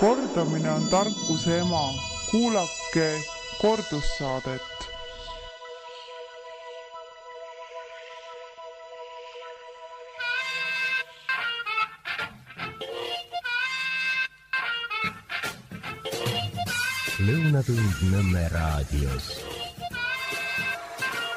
Kordamine on tarkuse ema. Kuulake kordussaadet. Lõunatund Nõmme raadios.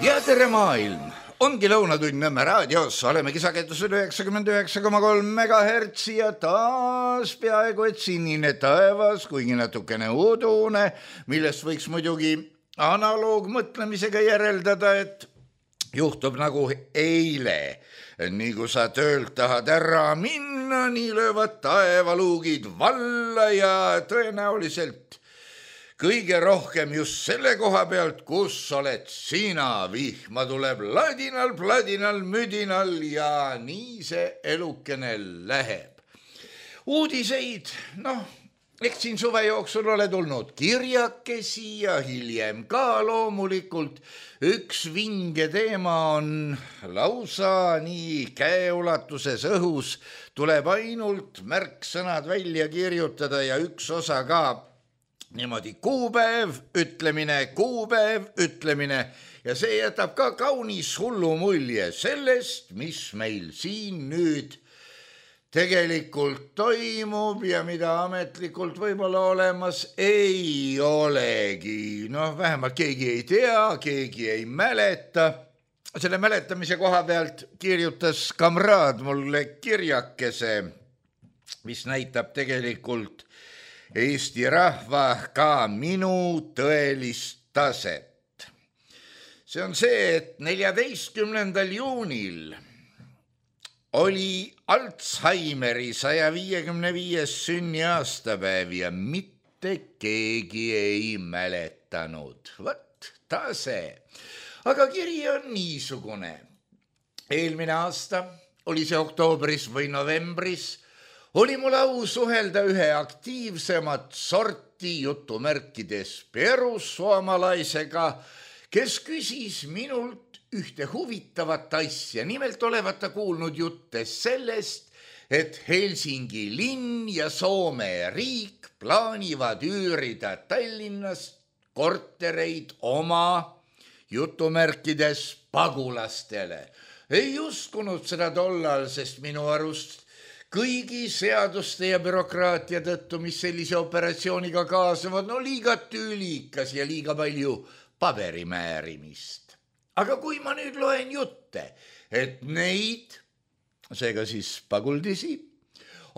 Ja tere maailm! Ongi Lõunatund Nõmme raadios, oleme kisakettusel 99,3 MHz ja taas peaaegu et sinine taevas, kuigi natukene udune, millest võiks muidugi analoogmõtlemisega järeldada, et juhtub nagu eile. Nii kui sa töölt tahad ära minna, nii löövad taevaluugid valla ja tõenäoliselt kõige rohkem just selle koha pealt, kus oled sina. Vihma tuleb ladinal, pladinal, müdinal ja nii see elukene läheb. Uudiseid, eks siin suve jooksul ole tulnud kirjakesi ja hiljem ka loomulikult. Üks vinge teema on lausa nii käeulatuses õhus. Tuleb ainult märksõnad välja kirjutada ja üks osa ka niimoodi kuupäev, ütlemine ja see jätab ka kaunis hullu mulje sellest, mis meil siin nüüd tegelikult toimub ja mida ametlikult võib-olla olemas ei olegi. Vähemalt keegi ei tea, keegi ei mäleta. Selle mäletamise koha pealt kirjutas kamraad mulle kirjakese, mis näitab tegelikult Eesti rahva ka minu tõelist taset. See on see, et 14. juunil oli Alzheimeri 155. sünniaastapäev ja mitte keegi ei mäletanud. Vot tase. Aga kiri on niisugune. Eelmine aasta, oli see oktoobris või novembris, oli mul au suhelda ühe aktiivsemat sorti jutumärkides perussuomalaisega, kes küsis minult ühte huvitavat asja. Nimelt olevat ta kuulnud jutte sellest, et Helsingi linn ja Soome riik plaanivad üürida Tallinnast kortereid oma jutumärkides pagulastele. Ei uskunud seda tollal, sest minu arust kõigi seaduste ja bürokraatia tõttu, mis sellise operatsiooniga kaasavad, liiga tülikas ja liiga palju paberimäärimist. Aga kui ma nüüd loen jutte, et neid, seega siis paguldisi,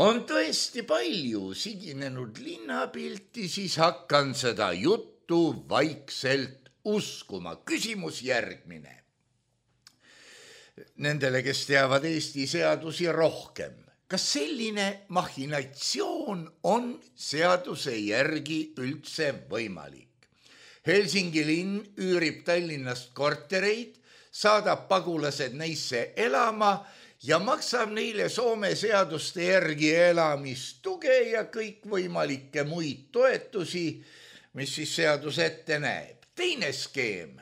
on tõesti palju siginenud linnapilti, siis hakkan seda juttu vaikselt uskuma. Küsimus järgmine. Nendele, kes teavad Eesti seadusi rohkem. Kas selline machinatsioon on seaduse järgi üldse võimalik? Helsingi linn üürib Tallinnast kortereid, saadab pagulased neisse elama ja maksab neile Soome seaduste järgi elamistuge ja kõikvõimalikke muid toetusi, mis siis seadus ette näeb. Teine skeem,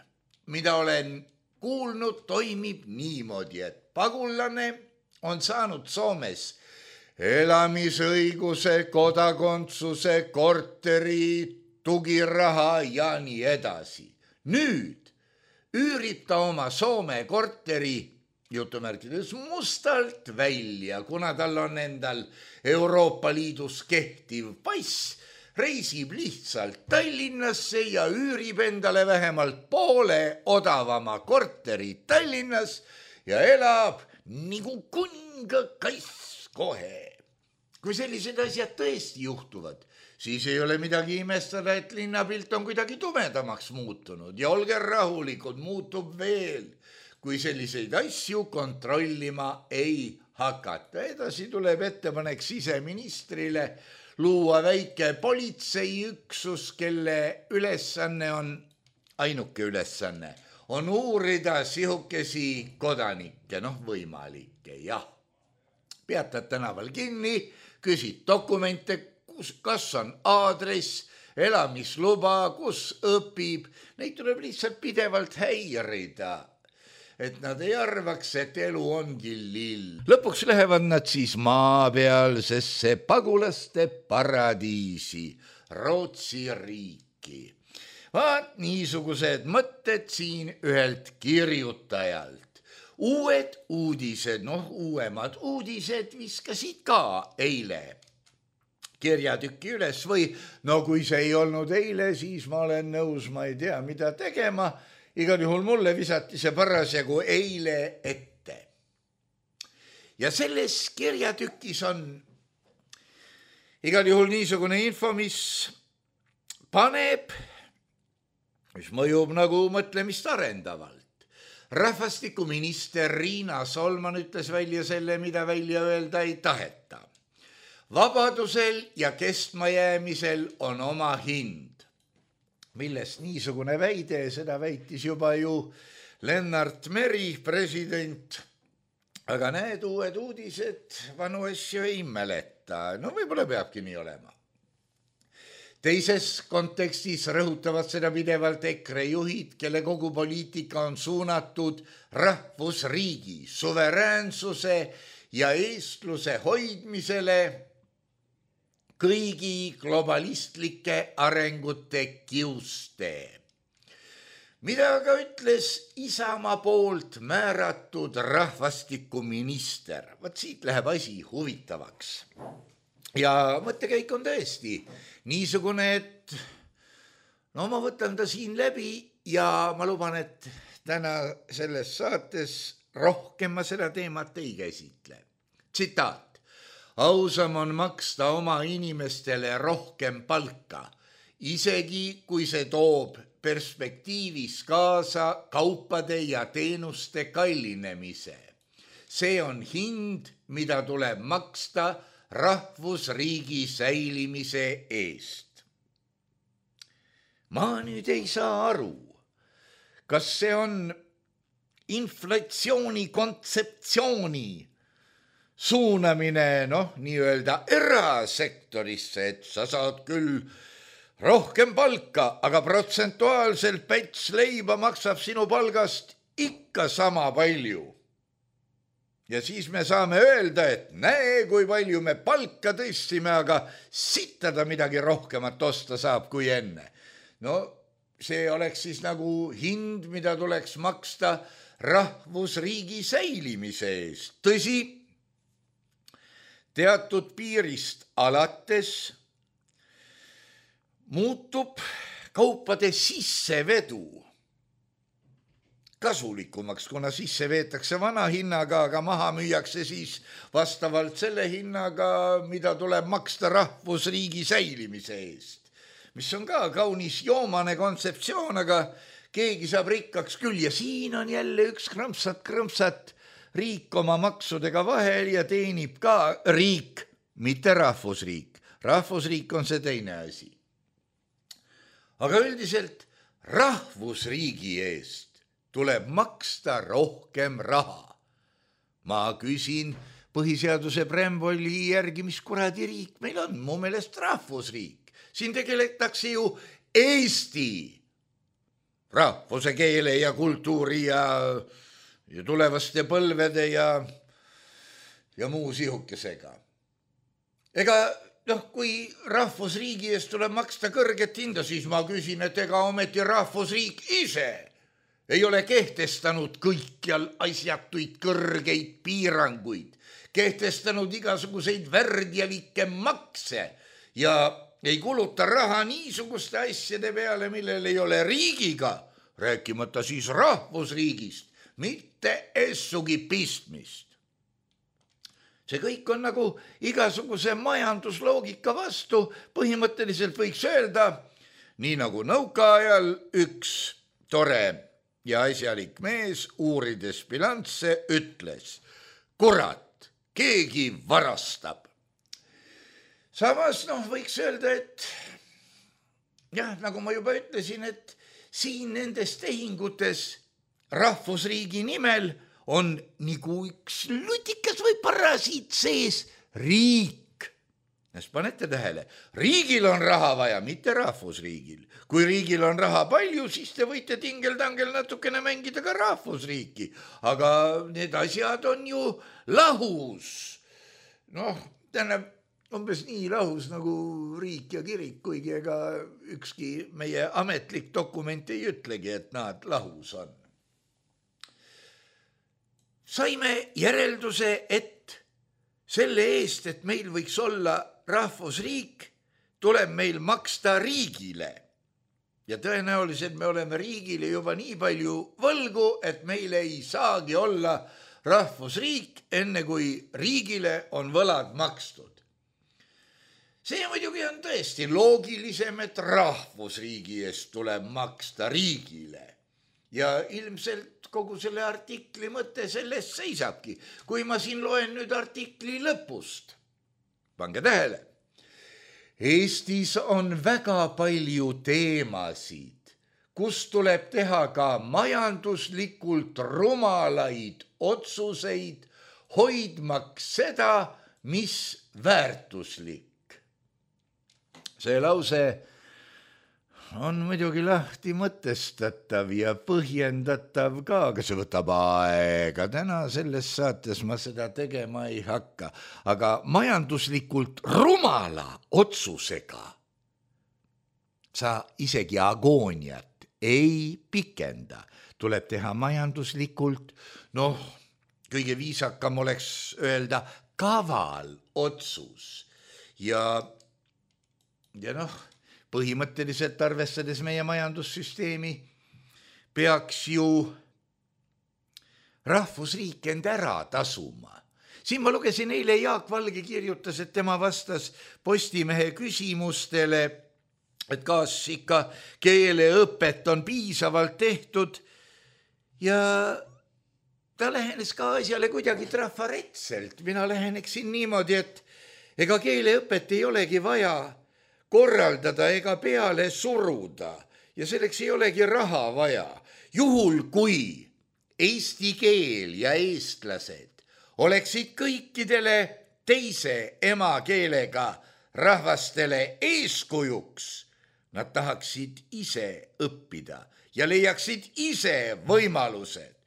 mida olen kuulnud, toimib niimoodi, et pagulane on saanud Soomes elamisõiguse, kodakondsuse, korteri, tugiraha ja nii edasi. Nüüd üürib ta oma Soome korteri jutumärkides mustalt välja, kuna tal on endal Euroopa Liidus kehtiv pass, reisib lihtsalt Tallinnasse ja üürib endale vähemalt poole odavama korteri Tallinnas ja elab nagu kungakaiss kohe. Kui sellised asjad tõesti juhtuvad, siis ei ole midagi imestada, et linnapilt on kuidagi tumedamaks muutunud ja olge rahulikud, muutub veel, kui selliseid asju kontrollima ei hakata. Edasi tuleb ettepanek siseministrile luua väike politseiüksus, kelle ülesanne on, ainuke ülesanne, on uurida sihukesi kodanikke, võimalikke, jah. Peatad tänaval kinni, küsid dokumente, kas on aadress, elamisluba, kus õpib, neid tuleb lihtsalt pidevalt häirida. et nad ei arvaks, et elu ongi lill. Lõpuks lähevad nad siis maapealsesse pagulaste paradiisi, Rootsi riiki. Vaat niisugused mõtted siin ühelt kirjutajalt. Uued uudised, uuemad uudised viskasid ka eile kirjatükki üles või kui see ei olnud eile, siis ma olen nõus, ma ei tea, mida tegema. Igal juhul mulle visati see parasjagu eile ette. Ja selles kirjatükis on igal juhul niisugune info, mis mõjub nagu mõtlemist arendavalt. Rahvastikuminister Riina Solman ütles välja selle, mida välja öelda ei taheta. Vabadusel ja kestmajäämisel on oma hind. Millest niisugune väide, seda väitis juba ju Lennart Meri, president. Aga need uued uudised vanu asju ei mäleta. Võib-olla peabki nii olema. Teises kontekstis rõhutavad seda pidevalt EKRE juhid, kelle kogu poliitika on suunatud rahvusriigi, suveräänsuse ja eestluse hoidmisele kõigi globalistlike arengute kiuste. Mida aga ütles Isamaa poolt määratud rahvastikuminister? Vaat siit läheb asi huvitavaks. Ja mõttekäik on tõesti niisugune, et ma võtan ta siin läbi ja ma luban, et täna selles saates rohkem ma seda teemat ei käsitle. Tsitaat. Ausam on maksta oma inimestele rohkem palka, isegi kui see toob perspektiivis kaasa kaupade ja teenuste kallinemise. See on hind, mida tuleb maksta rahvusriigi säilimise eest. Ma nüüd ei saa aru, kas see on inflatsiooni kontseptsiooni suunamine, nii-öelda erasektorisse, et sa saad küll rohkem palka, aga protsentuaalselt päts leiba maksab sinu palgast ikka sama palju. Ja siis me saame öelda, et näe, kui palju me palka tõstsime, aga sittada midagi rohkemat osta saab kui enne. See oleks siis nagu hind, mida tuleks maksta rahvusriigi säilimise eest. Tõsi, teatud piirist alates muutub kaupade sissevedu kasulikumaks, kuna sisse veetakse vana hinnaga, aga maha müüakse siis vastavalt selle hinnaga, mida tuleb maksta rahvusriigi säilimise eest. Mis on ka kaunis joomane kontseptsioon, aga keegi saab rikkaks küll ja siin on jälle üks krõmpsat riik oma maksudega vahel ja teenib ka riik, mitte rahvusriik. Rahvusriik on see teine asi. Aga üldiselt rahvusriigi eest tuleb maksta rohkem raha. Ma küsin põhiseaduse preambuli järgi, mis kuradi riik meil on, mu meelest rahvusriik. Siin tegeletakse ju Eesti rahvuse, keele ja kultuuri ja tulevaste põlvede ja muu sihukesega. Ega kui rahvusriigi eest tuleb maksta kõrget hinda, siis ma küsin, et ega ometi rahvusriik ise ei ole kehtestanud kõikjal asjatuid kõrgeid piiranguid, kehtestanud igasuguseid värdjalikke makse ja ei kuluta raha niisuguste asjade peale, millel ei ole riigiga, rääkimata siis rahvusriigist, mitte essugi pistmist. See kõik on nagu igasuguse majandusloogika vastu, põhimõtteliselt võiks öelda, nii nagu nõukaajal üks tore ja asjalik mees uurides bilansse ütles, kurat, keegi varastab. Samas võiks öelda, et nagu ma juba ütlesin, et siin nendes tehingutes rahvusriigi nimel on nagu üks lutikas või parasiit sees riik. Sest panete tähele, riigil on raha vaja, mitte rahvusriigil. Kui riigil on raha palju, siis te võite tingel-tangel natukene mängida ka rahvusriiki. Aga need asjad on ju lahus. Tähendab, umbes nii lahus nagu riik ja kirik, kuigi ega ükski meie ametlik dokument ei ütlegi, et nad lahus on. Saime järelduse, et selle eest, et meil võiks olla rahvusriik, tuleb meil maksta riigile. Ja tõenäoliselt me oleme riigile juba nii palju võlgu, et meil ei saagi olla rahvusriik, enne kui riigile on võlad makstud. See muidugi on tõesti loogilisem, et rahvusriigi eest tuleb maksta riigile. Ja ilmselt kogu selle artikli mõte sellest seisabki. Kui ma siin loen nüüd artikli lõpust, pange tähele, Eestis on väga palju teemasid, kus tuleb teha ka majanduslikult rumalaid otsuseid, hoidmaks seda, mis väärtuslik. See lause on muidugi lahti mõtestatav ja põhjendatav ka, aga see võtab aega. Täna selles saates ma seda tegema ei hakka, aga majanduslikult rumala otsusega sa isegi agooniat ei pikenda. Tuleb teha majanduslikult, kõige viisakam oleks öelda kaval otsus ja põhimõtteliselt arvestades meie majandussüsteemi peaks ju rahvusriik end ära tasuma. Siin ma lugesin eile, Jaak Valge kirjutas, et tema vastas Postimehe küsimustele, et kas ikka keeleõpet on piisavalt tehtud ja ta lähenes ka asjale kuidagi trafaretselt. Mina läheneksin niimoodi, et ega keeleõpet ei olegi vaja korraldada ega peale suruda ja selleks ei olegi raha vaja. Juhul, kui eesti keel ja eestlased oleksid kõikidele teise emakeelega rahvastele eeskujuks, nad tahaksid ise õppida ja leiaksid ise võimalused.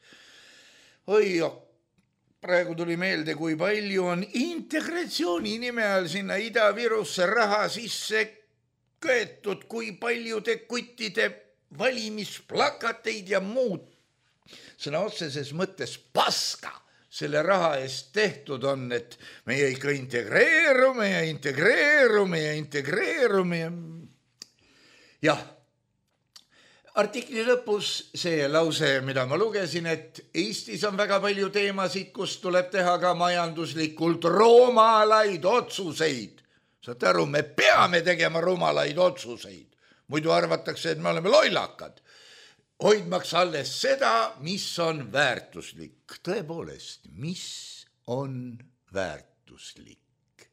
Praegu tuli meelde, kui palju on integratsiooni nime all sinna Ida-Virusse raha sisse köetud, kui paljude kuttide valimisplakateid ja muud sõna otseses mõttes paska selle raha eest tehtud on, et meie ikka integreerume ja artikli lõpus see lause, mida ma lugesin, et Eestis on väga palju teemasid, kus tuleb teha ka majanduslikult rumalaid otsuseid. Saate aru, me peame tegema rumalaid otsuseid. Muidu arvatakse, et me oleme lollakad. Hoidmaks alles seda, mis on väärtuslik. Tõepoolest, mis on väärtuslik?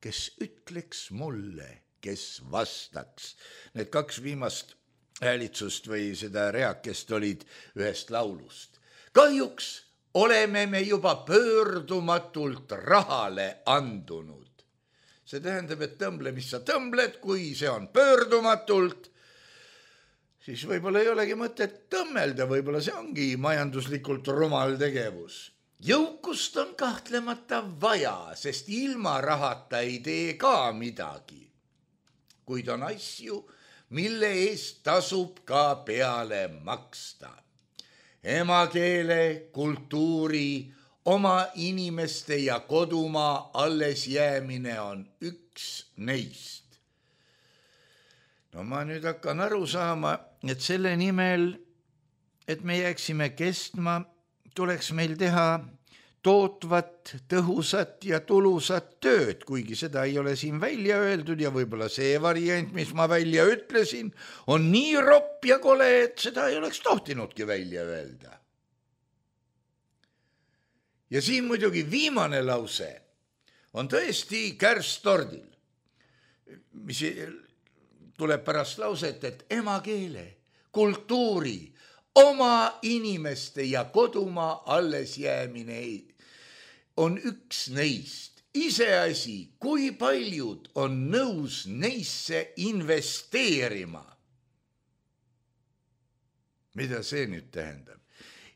Kes ütleks mulle, kes vastaks? Need kaks viimast häälitsust või seda reakest olid ühest laulust. Kahjuks oleme me juba pöördumatult rahale andunud. See tähendab, et tõmble, mis sa tõmbled, kui see on pöördumatult, siis võib-olla ei olegi mõtet tõmmelda, võib-olla see ongi majanduslikult rumal tegevus. Jõukust on kahtlemata vaja, sest ilma rahata ei tee ka midagi. Kuid on asju, mille eest tasub ka peale maksta. Emakeele, kultuuri, oma inimeste ja kodumaa alles jäämine on üks neist. Ma nüüd hakkan aru saama, et selle nimel, et me jääksime kestma, tuleks meil teha tootvat, tõhusat ja tulusat tööd, kuigi seda ei ole siin välja öeldud ja võib-olla see variant, mis ma välja ütlesin, on nii ropp ja kole, et seda ei oleks tohtinudki välja öelda. Ja siin muidugi viimane lause on tõesti kärstordil, mis tuleb pärast lauset, et emakeele, kultuuri, oma inimeste ja kodumaa alles jäämine on üks neist Iseasi, kui paljud on nõus neisse investeerima. Mida see nüüd tähendab?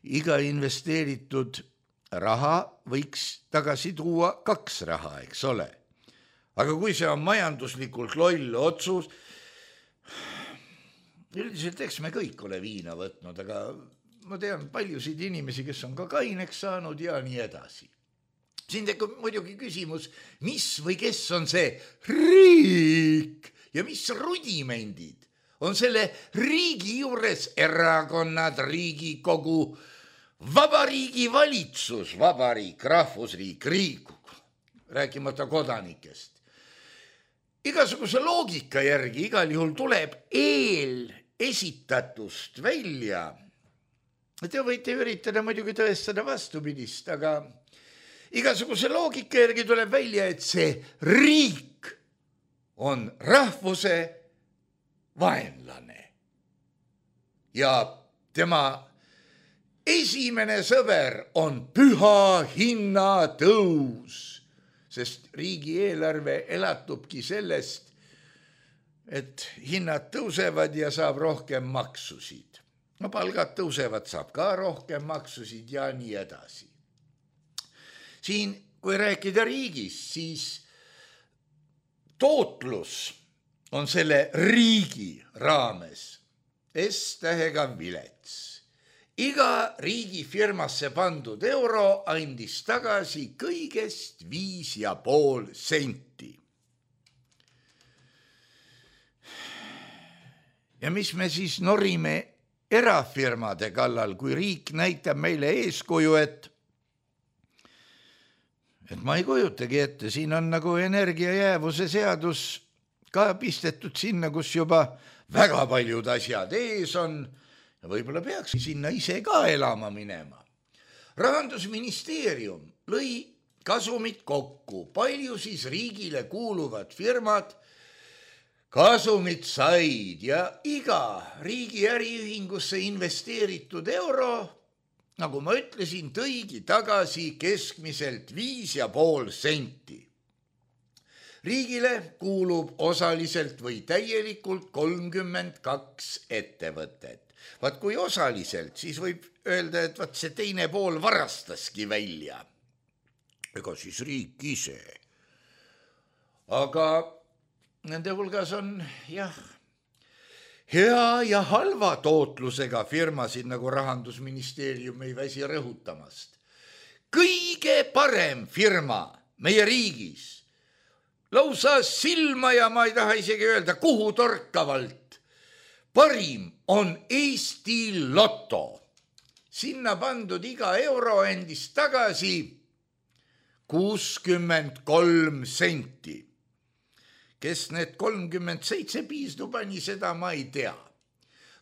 Iga investeeritud raha võiks tagasi tuua 2 raha, eks ole. Aga kui see on majanduslikult loll otsus, üldiselt eks me kõik ole viina võtnud, aga ma tean paljusid inimesi, kes on ka kaineks saanud ja nii edasi. Siin tekib muidugi küsimus, mis või kes on see riik ja mis rudimendid on selle riigi juures erakonnad, riigikogu, vabariigi valitsus, vabariik, rahvusriik, riik, rääkimata kodanikest. Igasuguse loogika järgi igal juhul tuleb esitatust välja. Te võite üritada muidugi tõestada vastupidist, aga igasuguse loogika järgi tuleb välja, et see riik on rahvuse vaenlane. Ja tema esimene sõber on püha hinnatõus, sest riigieelarve elatubki sellest, et hinnad tõusevad ja saab rohkem maksusid. No palgad tõusevad, saab ka rohkem maksusid ja nii edasi. Siin, kui rääkida riigist, siis tootlus on selle riigi raames S-tähega vilets. Iga riigi firmasse pandud euro andis tagasi kõigest 5,5 senti. Ja mis me siis norime erafirmade kallal, kui riik näitab meile eeskuju, et ma ei kujutagi ette, siin on nagu energiajäävuse seadus ka pistetud sinna, kus juba väga paljud asjad ees on ja võib-olla peaks sinna ise ka elama minema. Rahandusministeerium lõi kasumit kokku, palju siis riigile kuuluvad firmad kasumit said ja iga riigi äriühingusse investeeritud euro, nagu ma ütlesin, tõigi tagasi keskmiselt 5,5 senti. Riigile kuulub osaliselt või täielikult 32 ettevõtet. Vaat kui osaliselt, siis võib öelda, et vaat see teine pool varastaski välja. Ega siis riik ise. Aga nende hulgas on hea ja halva tootlusega firmasid, nagu Rahandusministeerium ei väsi rõhutamast. Kõige parem firma meie riigis, lausa silma ja ma ei taha isegi öelda, kuhu torkavalt, parim on Eesti Loto. Sinna pandud iga euro endis tagasi 63 senti. Kes need 37 piisdu pani, seda ma ei tea.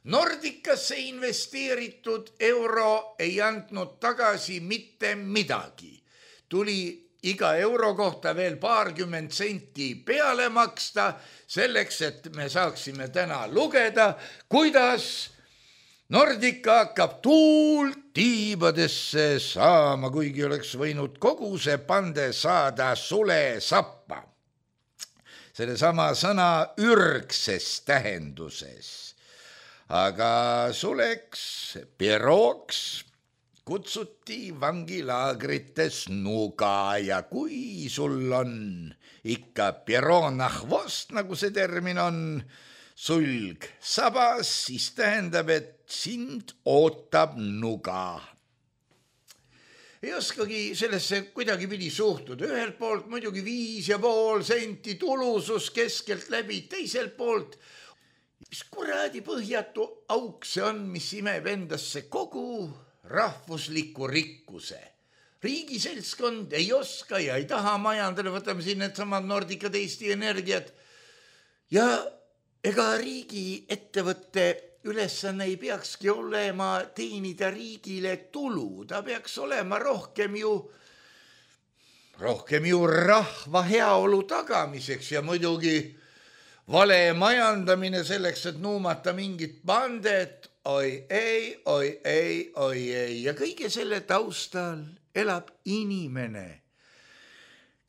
Nordicasse investeeritud euro ei andnud tagasi mitte midagi. Tuli iga euro kohta veel 20 senti peale maksta, selleks, et me saaksime täna lugeda, kuidas Nordica hakkab tuult tiibadesse saama, kuigi oleks võinud kogu see pande saada sule sappa. Selle sama sõna ürgses tähenduses. Aga suleks, pirooks kutsuti vangilaagrites nuga ja kui sul on ikka piroonahvost, nagu see termin on, sulg sabas, siis tähendab, et sind ootab nuga. Ei oskagi sellesse kuidagi pidi suhtuda. Ühelt poolt muidugi 5,5 senti tulusus keskelt läbi, teiselt poolt mis kuradi põhjatu auk see on, mis imeb endasse kogu rahvusliku rikkuse. Riigiseltskond ei oska ja ei taha majandada, võtame siin need samad Nordica, Eesti Energiat. Ja ega riigi ettevõtte ülesanne ei peakski olema teenida riigile tulu, ta peaks olema rohkem ju rahva heaolu tagamiseks ja muidugi vale majandamine selleks, et nuumata mingit pandet, oi ei ja kõige selle taustal elab inimene,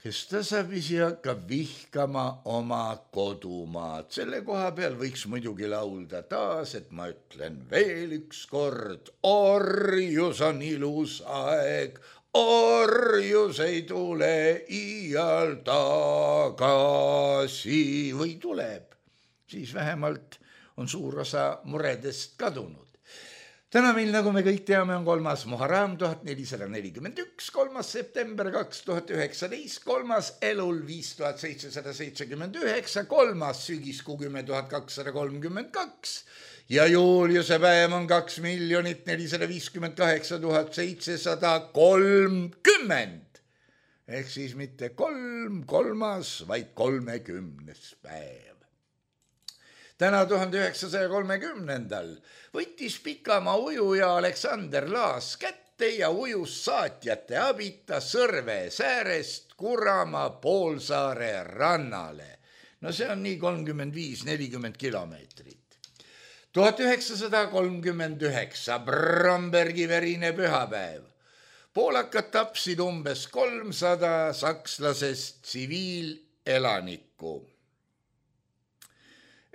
kes tasapisi hakkab vihkama oma kodumaad. Selle koha peal võiks muidugi laulda taas, et ma ütlen veel üks kord, orjus on ilus aeg, orjus ei tule iial tagasi või tuleb, siis vähemalt on suur osa muredest kadunud. Täna meil, nagu me kõik teame, on 3. Muharram 1441, 3. september 2019, 3. elul 5779, 3. sügiskuu 10.232 ja Juliuse päev on 2 458 730. Ehk siis mitte 3, vaid 30. päev. Täna 1930. võttis pikamaa ujuja Aleksander Laas kätte ja ujus saatjate abita Sõrve säärest Kuramaa poolsaare rannale. No see on nii 35-40 kilomeetrit. 1939 Brombergi verine pühapäev. Poolakad tapsid umbes 300 sakslasest tsiviilelanikku.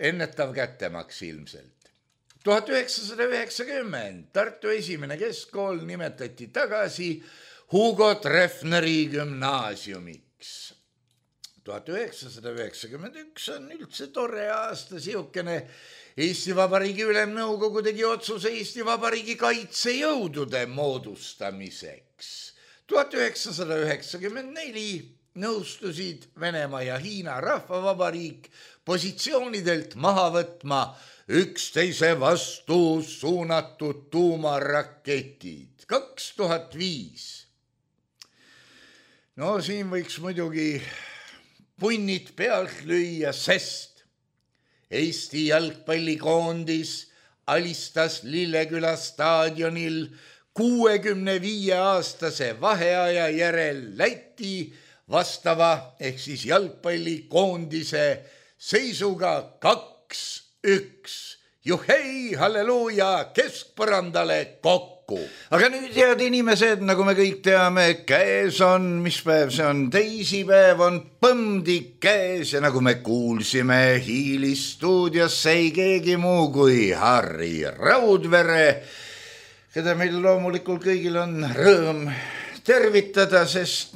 Ennetav kättemaks ilmselt. 1990 Tartu esimene keskkool nimetati tagasi Hugo Treffneri gümnaasiumiks. 1991 on üldse tore aasta, siukene Eesti Vabariigi Ülemnõukogu tegi otsuse Eesti Vabariigi kaitsejõudude moodustamiseks. 1994 nõustusid Venemaa ja Hiina Rahvavabariik positsioonidelt maha võtma üksteise vastu suunatud tuumaraketid. 2005. No siin võiks muidugi punnid pealt lüüa, sest Eesti jalgpallikoondis alistas Lilleküla staadionil 65-aastase vaheaja järel Läti vastava ehk siis jalgpallikoondise seisuga 2-1. Juhei, halleluuja, keskpõrandale kokku. Aga nüüd, head inimesed, nagu me kõik teame, käes on, mis päev see on, teisipäev on põmdik käes ja nagu me kuulsime, Hiilis stuudiosse ei keegi muu kui Harri Raudvere, keda meil loomulikult kõigil on rõõm tervitada, sest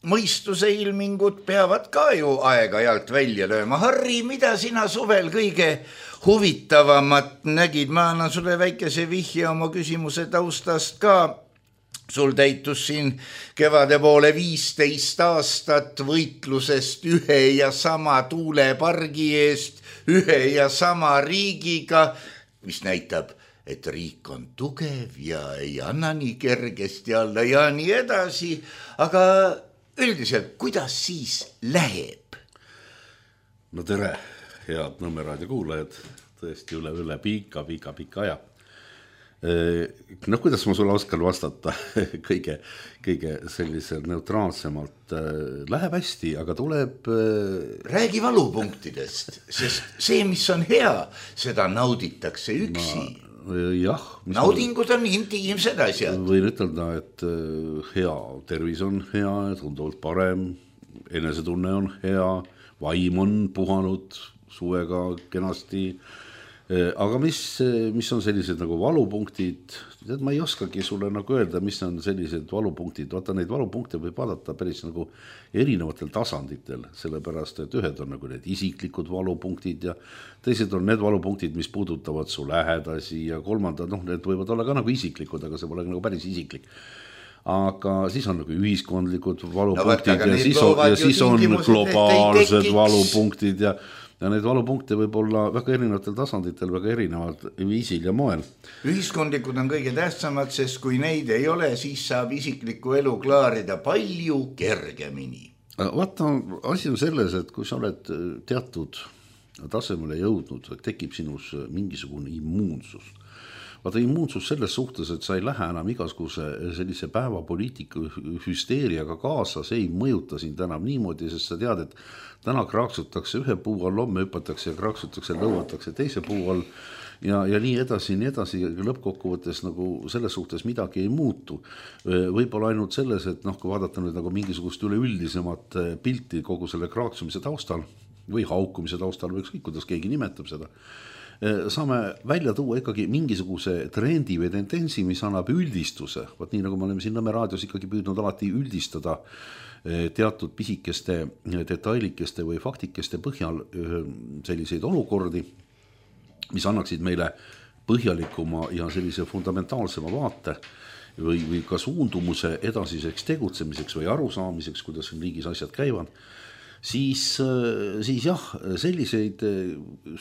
mõistuse ilmingud peavad ka ju aega-ajalt välja lööma. Harri, mida sina suvel kõige huvitavamat nägid? Ma annan sulle väikese vihje oma küsimuse taustast ka. Sul täitus siin kevade poole 15 aastat võitlusest ühe ja sama tuulepargi eest, ühe ja sama riigiga, mis näitab, et riik on tugev ja ei anna nii kergesti alla ja nii edasi, aga üldiselt, kuidas siis läheb? No tere, head Nõmme raadio kuulajad, tõesti üle pika aja. Kuidas ma sulle oskan vastata kõige sellisel neutraalsemalt? Läheb hästi, aga tuleb... Räägi valupunktidest, sest see, mis on hea, seda nauditakse üksi. Jah. Naudingud on intiimsed asjad. Võin ütelda, et hea tervis on hea, tunduvalt parem, enesetunne on hea, vaim on puhanud suvega kenasti. Aga mis on sellised nagu valupunktid? Ma ei oskagi sulle nagu öelda, mis on sellised valupunktid. Vaata, neid valupunkte võib vaadata päris nagu erinevatel tasanditel, sellepärast, et ühed on nagu need isiklikud valupunktid ja teised on need valupunktid, mis puudutavad su lähedasi ja kolmandad, need võivad olla ka nagu isiklikud, aga see pole nagu päris isiklik. Aga siis on nagu ühiskondlikud valupunktid ja siis on globaalsed valupunktid ja neid valupunkte võib olla väga erinevatel tasanditel, väga erinevad viisil ja moel. Ühiskondlikud on kõige tähtsamad, sest kui neid ei ole, siis saab isiklikku elu klaarida palju kergemini. Vaata, asi on selles, et kui sa oled teatud tasemele jõudnud, tekib sinus mingisugune immuunsus. Vaata, immuunsus selles suhtes, et sa ei lähe enam igasuguse sellise päevapoliitika hüsteeriaga kaasa, see ei mõjuta sind enam niimoodi, sest sa tead, et täna kraaksutakse ühe puu all, homme hüpatakse ja kraaksutakse, lõuatakse teise puu all ja nii edasi, lõppkokkuvõttes nagu selles suhtes midagi ei muutu. Võib-olla ainult selles, et kui vaadata nüüd nagu mingisugust üleüldisemat pilti kogu selle kraaksumise taustal või haukumise taustal või ükskõik, kuidas keegi nimetab seda, saame välja tuua ikkagi mingisuguse trendi või tendentsi, mis annab üldistuse. Võt nii nagu me oleme siin Nõmme raadios ikkagi püüdnud alati üldistada teatud pisikeste detailikeste või faktikeste põhjal selliseid olukordi, mis annaksid meile põhjalikuma ja sellise fundamentaalsema vaate või ka suundumuse edasiseks tegutsemiseks või arusaamiseks, kuidas riigis asjad käivad. Siis jah, selliseid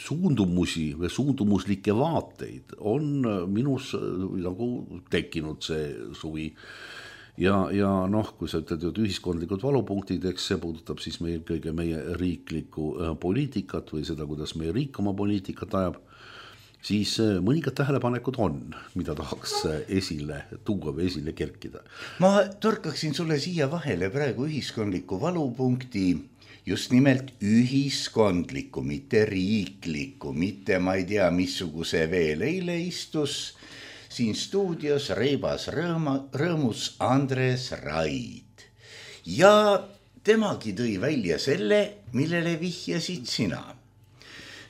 suundumusi või suundumuslikke vaateid on minus nagu tekkinud see suvi. Ja kui sa ütled ühiskondlikud valupunktid, eks see puudutab siis meil kõige meie riiklikku poliitikat või seda, kuidas meie riik oma poliitikat ajab, siis mõningad tähelepanekud on, mida tahaks esile tuua või esile kerkida. Ma torkaksin sulle siia vahele praegu ühiskondliku valupunkti, just nimelt ühiskondliku, mitte riikliku, mitte ma ei tea missuguse veel. Eile istus siin stuudios reibas rõõmus Andres Raid ja temagi tõi välja selle, millele vihjasid sina.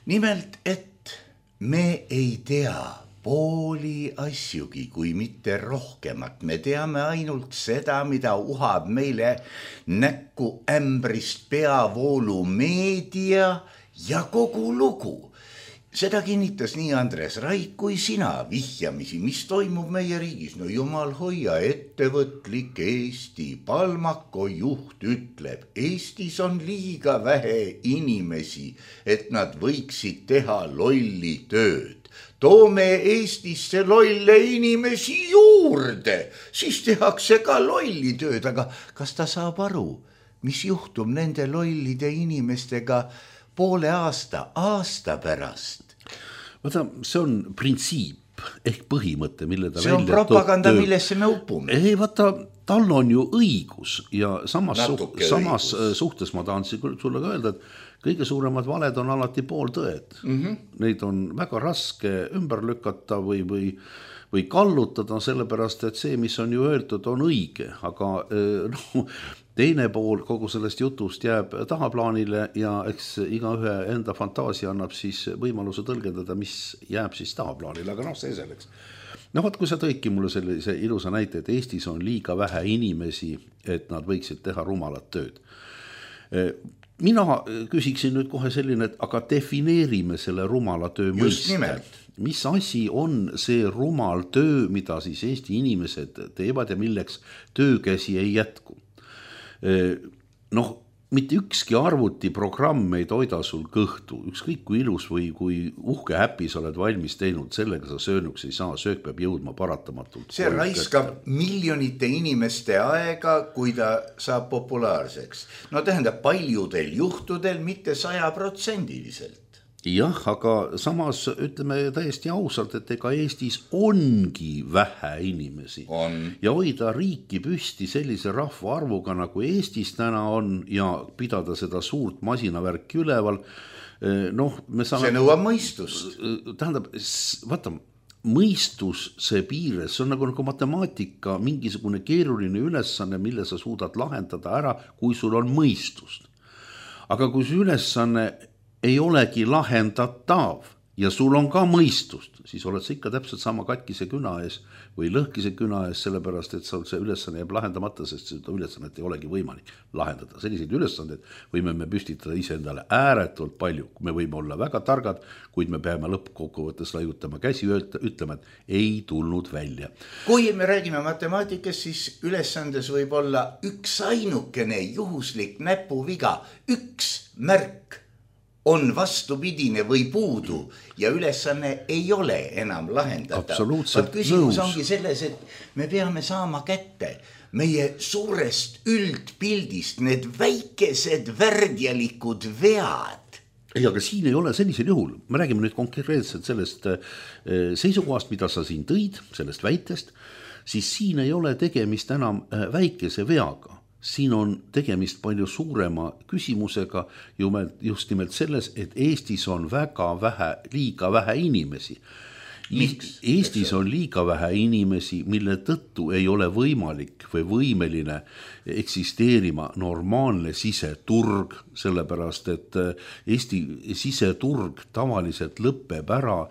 Nimelt, et me ei tea pooli asjugi, kui mitte rohkemat. Me teame ainult seda, mida uhab meile näkku ämbrist peavoolu meedia ja kogu lugu. Seda kinnitas nii Andres Raid kui sina vihjamisi, mis toimub meie riigis. No jumal hoia, ettevõtlik Eesti Palmako juht ütleb, Eestis on liiga vähe inimesi, et nad võiksid teha lolli tööd. Toome Eestisse lolle inimesi juurde, siis tehakse ka lolli tööd, aga kas ta saab aru, mis juhtub nende lollide inimestega poole aasta pärast? Vaata, see on printsiip ehk põhimõte, mille ta see on propaganda, millesse me upume. Ei, vaata, tal on ju õigus ja samas suhtes ma tahan sulle ka öelda, et kõige suuremad valed on alati pooltõed. Neid on väga raske ümber lükata või kallutada, sellepärast, et see, mis on ju öeldud, on õige, aga teine pool kogu sellest jutust jääb tahaplaanile ja eks igaühe enda fantaasia annab siis võimaluse tõlgendada, mis jääb siis tahaplaanile, aga see selleks. Vaat, kui sa tõidki mulle sellise ilusa näite, et Eestis on liiga vähe inimesi, et nad võiksid teha rumalat tööd. Mina küsiksin nüüd kohe selline, et aga defineerime selle rumala töö mõiste. Mis asi on see rumal töö, mida siis Eesti inimesed teevad ja milleks töökäsi ei jätku? Mitte ükski arvutiprogramm ei toida sul kõhtu, ükskõik kui ilus või kui uhke häppi sa oled valmis teinud, sellega sa söönuks ei saa, söök peab jõudma paratamatult. See raiskab miljonite inimeste aega, kui ta saab populaarseks. Tähendab paljudel juhtudel, mitte 100%. Jah, aga samas ütleme täiesti ausalt, et ega Eestis ongi vähe inimesi. Ja hoida riiki püsti sellise rahva arvuga, nagu Eestis täna on ja pidada seda suurt masinavärki üleval. See nõuab mõistust. Tähendab, vaata, mõistus see piires, see on nagu matemaatika, mingisugune keeruline ülesanne, mille sa suudad lahendada ära, kui sul on mõistust. Aga kui see ülesanne ei olegi lahendatav ja sul on ka mõistust, siis oled sa ikka täpselt sama katkise küna ees või lõhkise küna ees, sellepärast, et see ülesanne jääb lahendamata, sest seda ülesannet ei olegi võimalik lahendada. Selliseid ülesandeid võime me püstitada iseendale ääretult palju. Me võime olla väga targad, kuid me peame lõppkokkuvõttes laiutama käsi ja ütlema, et ei tulnud välja. Kui me räägime matemaatikast, siis ülesandes võib olla üks ainukene juhuslik näpuviga, üks märk on vastupidine või puudu ja ülesanne ei ole enam lahendada. Absoluutselt küsimus ongi selles, et me peame saama kätte meie suurest üldpildist need väikesed värdjalikud vead. Ei, aga siin ei ole sellisel juhul. Me räägime nüüd konkreetselt sellest seisukohast, mida sa siin tõid, sellest väitest, siis siin ei ole tegemist enam väikese veaga. siin on tegemist palju suurema küsimusega just nimelt selles, et Eestis on liiga vähe inimesi. Eestis on liiga vähe inimesi, mille tõttu ei ole võimalik või võimeline eksisteerima normaalne siseturg, sellepärast et Eesti siseturg tavaliselt lõpeb ära,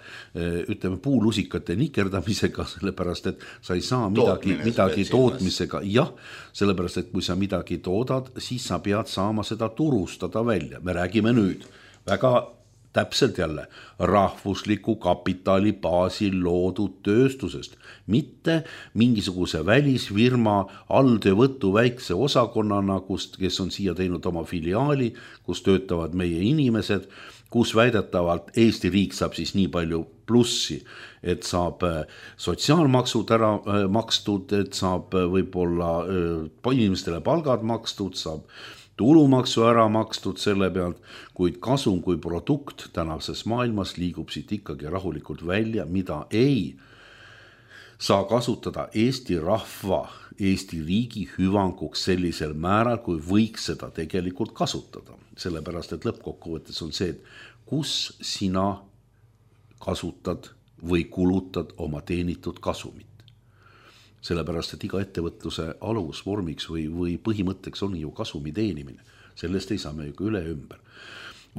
ütleme, puulusikate nikerdamisega, sellepärast et sa ei saa midagi tootmisega. Jah, sellepärast et kui sa midagi toodad, siis sa pead saama seda turustada välja. Me räägime nüüd väga täpselt jälle rahvusliku kapitali baasil loodud tööstusest, mitte mingisuguse välisfirma alltöövõttu väikse osakonnana, kes on siia teinud oma filiaali, kus töötavad meie inimesed, kus väidetavalt Eesti riik saab siis nii palju plussi, et saab sotsiaalmaksud ära makstud, et saab võib-olla inimestele palgad makstud, saab tulumaksu ära makstud selle pealt, kuid kasum kui produkt tänases maailmas liigub siit ikkagi rahulikult välja, mida ei saa kasutada Eesti rahva, Eesti riigi hüvanguks sellisel määral, kui võiks seda tegelikult kasutada. Sellepärast, et lõppkokkuvõttes on see, et kus sina kasutad või kulutad oma teenitud kasumit. Sellepärast, et iga ettevõtluse alusvormiks või põhimõtteks on ju kasumi teenimine. Sellest ei saa me ju üle ümber.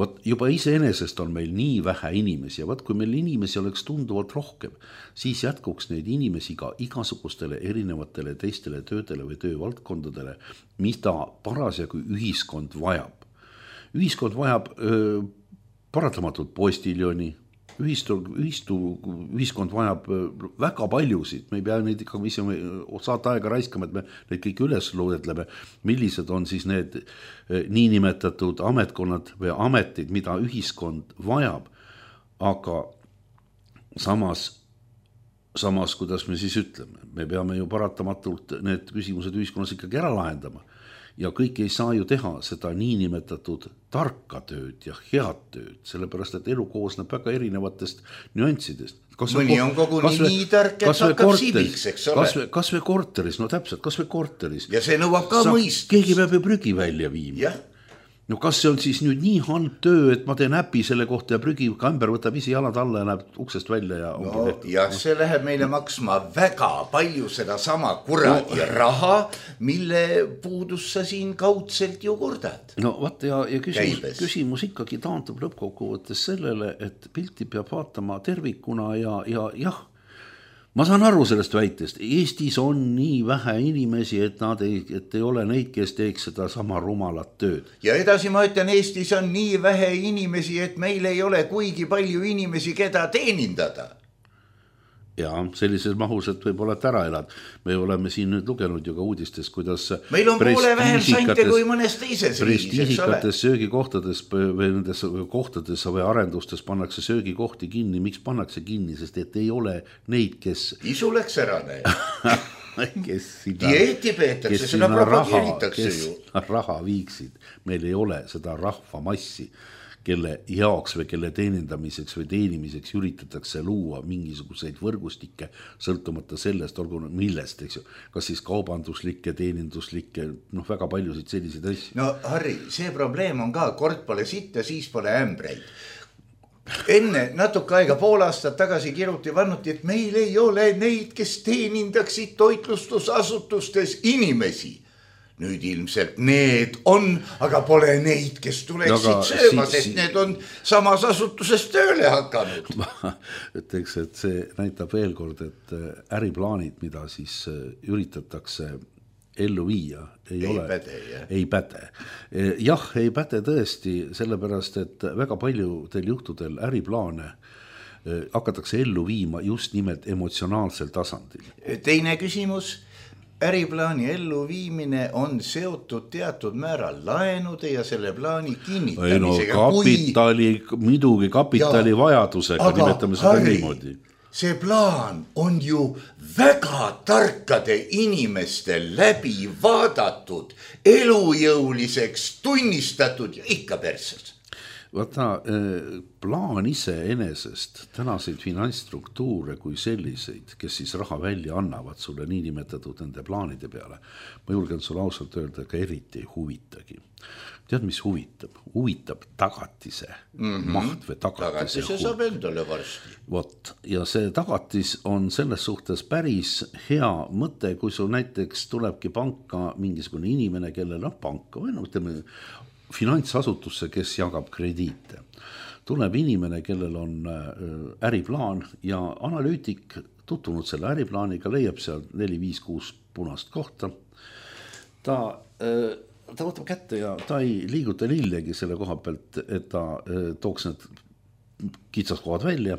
Võt, juba iseenesest on meil nii vähe inimesi ja kui meil inimesi oleks tunduvalt rohkem, siis jätkuks neid inimesi ka igasugustele erinevatele teistele töödele või töövaldkondadele, mida parasjagu ühiskond vajab. Ühiskond vajab paratamatult postiljoni, ühiskond vajab väga paljusid, me ei pea neid ikka saata aega raiskama, et me neid kõik üles loetleme, millised on siis need niinimetatud ametkonnad või ametid, mida ühiskond vajab, aga samas, kuidas me siis ütleme, me peame ju paratamatult need küsimused ühiskonnas ikkagi ära lahendama. Ja kõik ei saa ju teha seda niinimetatud tarka tööd ja head tööd, sellepärast, et elu koosneb väga erinevatest nüanssidest. Mõni on koguni nii tark, et hakkab sibiks, eks ole. Kas või korteris, no täpselt, kas või korteris. Ja see nõuab ka mõist. Keegi peab ju prügi välja viima. Jah. No kas see on siis nüüd nii halb töö, et ma teen äpi selle kohta ja prügi kamber võtab ise jalad alla ja läheb uksest välja ja no, ja see läheb meile maksma väga palju seda sama kuradi raha, mille puudus sa siin kaudselt ju kurdad. No vaat ja küsimus ikkagi taandub lõppkokkuvõttes sellele, et pilti peab vaatama tervikuna ja jah, ma saan aru sellest väitest, Eestis on nii vähe inimesi, et ei ole neid, kes teeks seda sama rumalat tööd. Ja edasi ma ütlen, Eestis on nii vähe inimesi, et meil ei ole kuigi palju inimesi, keda teenindada. Ja sellises mahus, et võib-olla ära elad. Me oleme siin nüüd lugenud ju ka uudistes, kuidas meil on poole vähem sante kui mõnes teises riigis. Prestiižikates söögikohtades või nendes kohtades või arendustes pannakse söögikohti kinni. Miks pannakse kinni? Sest et ei ole neid, kes isu läks ära dieeti peetakse, seda propageeritakse ju. Raha viiksid. Meil ei ole seda rahvamassi, kelle jaoks või kelle teenindamiseks või teenimiseks üritatakse luua mingisuguseid võrgustikke, sõltumata sellest, olgu millest, eks ju, kas siis kaubanduslikke, teeninduslikke, väga paljusid selliseid asju. No Harri, see probleem on ka, kord pole sitta, siis pole ämbreid. Enne natuke aega, pool aastat tagasi kirjuti vannuti, et meil ei ole neid, kes teenindaksid toitlustusasutustes inimesi. Nüüd ilmselt need on, aga pole neid, kes tuleksid sööma, sest need on samas asutuses tööle hakanud. Ma ütleks, et see näitab veel kord, et äriplaanid, mida siis üritatakse ellu viia, ei päde. Jah, ei päde tõesti, sellepärast, et väga paljudel juhtudel äriplaane hakatakse ellu viima just nimelt emotsionaalsel tasandil. Teine küsimus. Äriplaani elluviimine on seotud teatud määral laenude ja selle plaani kinnitamisega. Muidugi kapitali vajadusega, nimetame seda niimoodi. See plaan on ju väga tarkade inimeste läbi vaadatud, elujõuliseks tunnistatud ja ikka perses. Vaata, plaan iseenesest tänaseid finantsstruktuure kui selliseid, kes siis raha välja annavad sulle niinimetatud nende plaanide peale, ma julgen sulle ausalt öelda, ka eriti ei huvitagi. Tead, mis huvitab? Huvitab tagatise maht või tagatise saab endale varsti. Vot, ja see tagatis on selles suhtes päris hea mõte, kui sul näiteks tulebki panka mingisugune inimene, kellel on panka või ütleme, finantsasutusse, kes jagab krediite. Tuleb inimene, kellel on äriplaan ja analüütik tutvunud selle äriplaaniga, leiab seal 4-5-6 punast kohta. Ta võtab kätte ja ta ei liiguta lillegi selle koha pealt, et ta tooks need kitsaskohad välja.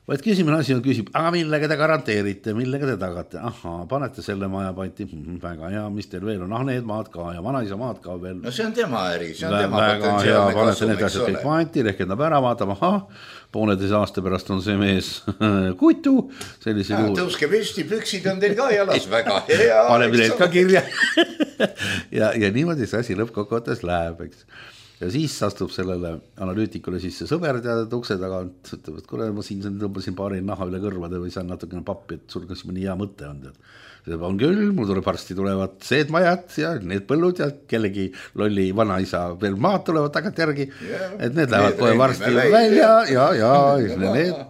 Vaid esimene asi on küsib, aga millega te garanteerite, millega te tagate? Panete selle maja panti, väga hea, mis teil veel on? Need maad ka ja vanaisa maad ka veel. No see on tema äri, see on tema väga potentsiaalne hea, panete need kasum, asjad kõik panti, rehkendab ära, vaatama, pooleteise aasta pärast on see mees kutu. Tõuske püsti, püksid on teil ka jalas, väga hea. Paneme need ka kirja. ja niimoodi see asi lõppkokkuvõttes läheb, eks. Ja siis astub sellele analüütikule sisse sõber teada ukse tagant, ütleb, et kuule, ma siin tõmbasin paari naha üle kõrvade või saan natukene pappi, et sul kas mõni hea mõte on. On küll, mul tuleb varsti tulevad seed majad ja need põllud ja kellegi lolli vanaisa veel maad tulevad tagant järgi, et need lähevad kohe varsti välja ja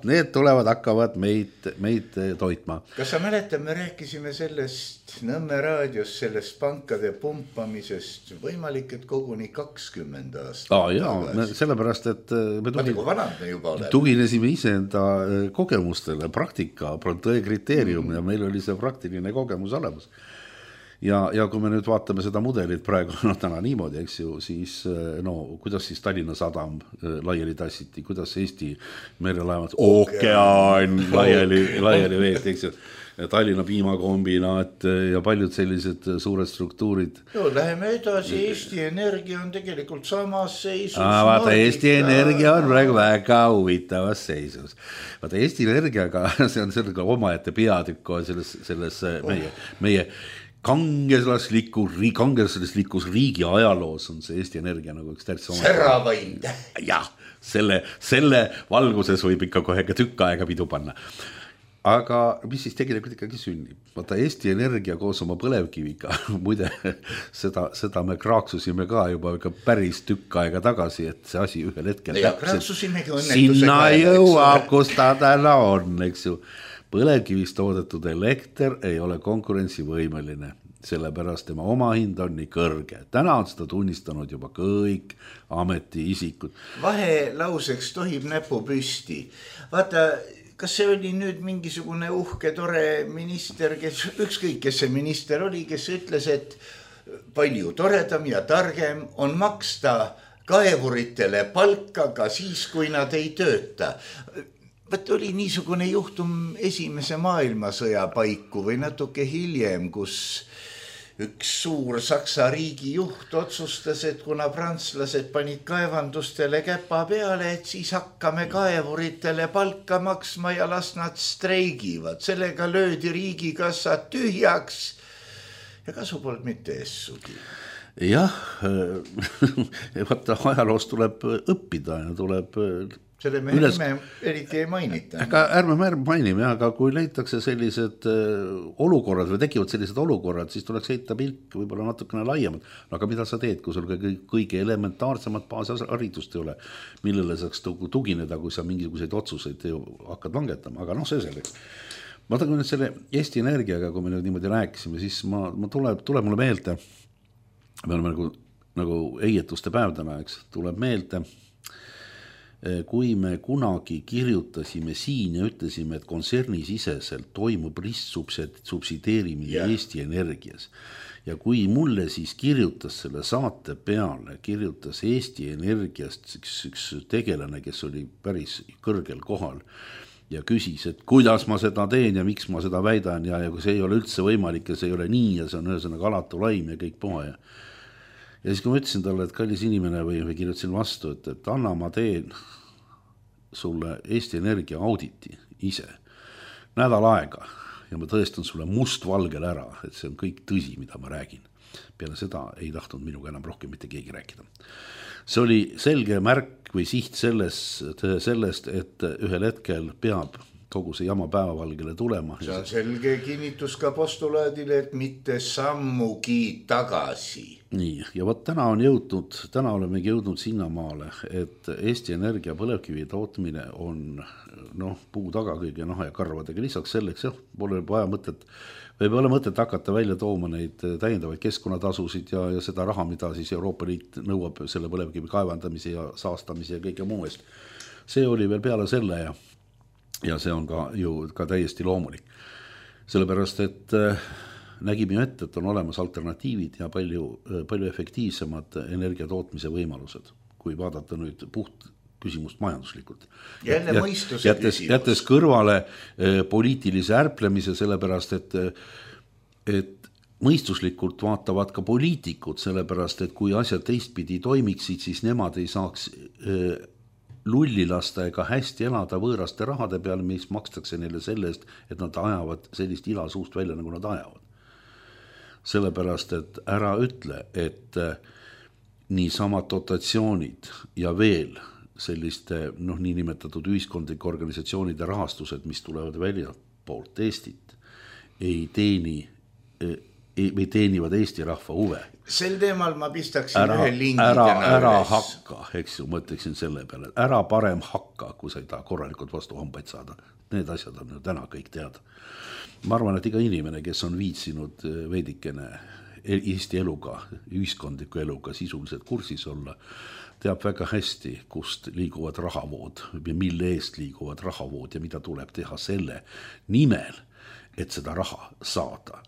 need tulevad, hakkavad meid toitma. Kas sa mäletad, me rääkisime sellest Nõmme raadios, sellest pankade pumpamisest, võimalik, et koguni 20 aastat. Sellepärast, et me tuginesime iseenda kogemustele, praktika, tõe kriteerium ja meil oli see praktiline kogemus olemas. Ja kui me nüüd vaatame seda mudelit praegu, täna niimoodi, eks ju, siis kuidas siis Tallinna Sadam laiali tassiti, kuidas Eesti merelaevad ookean laiali veeti, eks ju. Tallinna piimakombinaat ja paljud sellised suured struktuurid. Läheme edasi, Eesti Energia on tegelikult samas seisus. Vaata, Eesti Energia on praegu väga huvitavas seisus. Vaata, Eesti Energiaga, see on sellega omaette peatükk on selles meie kangelaslikus riigi ajaloos on see Eesti Energia nagu üks täitsa Serravaid. Jah, selle valguses võib ikka kohe ka tükk aega pidu panna. Aga mis siis tegelikult ikkagi sünnib? Vaata, Eesti Energia koos oma põlevkiviga, muide, seda me kraaksusime ka juba päris tükk aega tagasi, et see asi ühel hetkel sinna jõuab, kus ta täna on, eks ju. Põlevkivist toodetud elekter ei ole konkurentsivõimeline, sellepärast tema omahind on nii kõrge. Täna on seda tunnistanud juba kõik ametiisikud. Vahelauseks tohib näpu püsti. Vaata, kas see oli nüüd mingisugune uhke, tore minister, ükskõik, kes see minister oli, kes ütles, et palju toredam ja targem on maksta kaevuritele palka ka siis, kui nad ei tööta. Võt oli niisugune juhtum esimese maailmasõja paiku või natuke hiljem, kus üks suur Saksa riigi juht otsustas, et kuna prantslased panid kaevandustele käpa peale, et siis hakkame kaevuritele palka maksma ja las nad streigivad. Sellega löödi riigikassad tühjaks ja kasu polnud mitte essugi. Jah, vaata, ajaloost tuleb õppida ja tuleb selle me eriti ei mainita. Aga ärme mainime, aga kui leitakse sellised olukorrad või tekivad sellised olukorrad, siis tuleks heita pilk võib-olla natukene laiemalt. Aga mida sa teed, kui sul kõige elementaarsemad baasharidust ei ole, millele saaks tugineda, kui sa mingisuguseid otsuseid hakkad langetama, aga see selleks. Ma tahan nüüd selle Eesti Energiaga, kui me nüüd niimoodi rääkisime, siis tuleb mulle meelde, me oleme nagu eietuste päev täna, eks, tuleb meelde, kui me kunagi kirjutasime siin ja ütlesime, et kontsernisiseselt toimub ristsubsideerimine Eesti Energias. Ja kui mulle siis kirjutas selle saate peale, kirjutas Eesti Energiast üks tegelane, kes oli päris kõrgel kohal ja küsis, et kuidas ma seda teen ja miks ma seda väidan ja kui see ei ole üldse võimalik ja see ei ole nii ja see on ühesõnaga alatu laim ja kõik puha. Ja siis kui ma ütlesin talle, et kallis inimene või kirjutasin vastu, et anna ma teen sulle Eesti Energia auditi ise nädal aega ja ma tõestan sulle mustvalgel ära, et see on kõik tõsi, mida ma räägin. Peale seda ei tahtnud minuga enam rohkem mitte keegi rääkida. See oli selge märk eesmärk või siht sellest, et ühel hetkel peab kogu see jama päevavalgele tulema. See on selge kinnitus ka postulaadile, et mitte sammugi tagasi. Nii, ja võt täna olemegi jõudnud sinnamaale, et Eesti Energia põlevkivi tootmine on puu taga kõige ja karvadega. Lisaks selleks pole ole mõtet hakata välja tooma neid täiendavaid keskkonnatasusid ja seda raha, mida siis Euroopa Liit nõuab selle põlevkivi kaevandamise ja saastamise ja kõige muu eest. See oli veel peale selle ja see on ka täiesti loomulik. Sellepärast, et nägime ette, et on olemas alternatiivid ja palju efektiivsemad energia tootmise võimalused, kui vaadata nüüd puht küsimust majanduslikult. Jälle mõistuse küsimus. Jättes kõrvale poliitilise ärplemise, sellepärast, et mõistuslikult vaatavad ka poliitikud, sellepärast, et kui asjad teistpidi toimiksid, siis nemad ei saaks lulli lasta ega hästi elada võõraste rahade peale, mis makstakse neile selle eest, et nad ajavad sellist ila suust välja, nagu nad ajavad. Sellepärast, et ära ütle, et niisama dotatsioonid ja veel selliste niinimetatud ühiskondlike organisatsioonide rahastused, mis tulevad välja poolt Eestit, teenivad Eesti rahva huve. Sel teemal ma pistaksin ühe lingi ära hakka, eks ju, mõtleksin selle peale. Ära parem hakka, kui sa ei taha korralikult vastu hambaid saada. Need asjad on ju täna kõik teada. Ma arvan, et iga inimene, kes on viitsinud veidikene Eesti eluga, ühiskondliku eluga sisuliselt kursis olla, teab väga hästi, kust liiguvad rahavood ja mille eest liiguvad rahavood ja mida tuleb teha selle nimel, et seda raha saada.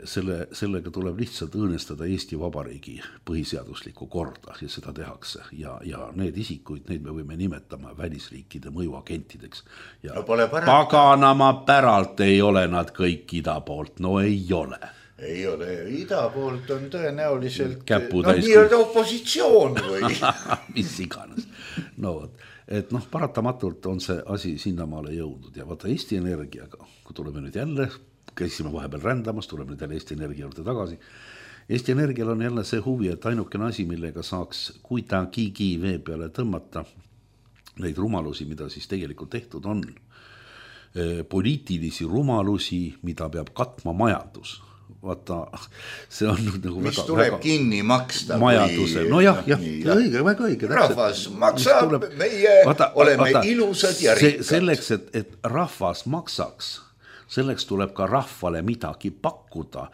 Sellega tuleb lihtsalt õõnestada Eesti Vabariigi põhiseaduslikku korda ja seda tehakse. Ja need isikuid, neid me võime nimetama välisriikide mõjuagentideks. Ja paganama päralt ei ole nad kõik ida poolt, ei ole. Ei ole, ida poolt on tõenäoliselt nii-öelda opositsioon või mis iganes. Et paratamatult on see asi sinnamaale jõudnud ja vaata Eesti Energiaga, kui tuleme nüüd jälle, käisime vahepeal rändamas, tuleme nüüd jälle Eesti Energia juurde tagasi. Eesti Energial on jälle see huvi, et ainukene asi, millega saaks kuidagigi vee peale tõmmata neid rumalusi, mida siis tegelikult tehtud on. Poliitilisi rumalusi, mida peab katma majandus. Vaata, see on nagu mis tuleb kinni maksta majanduse, väga õige rahvas maksab, meie oleme ilusad ja rikkad. Selleks, et rahvas maksaks, selleks tuleb ka rahvale midagi pakkuda,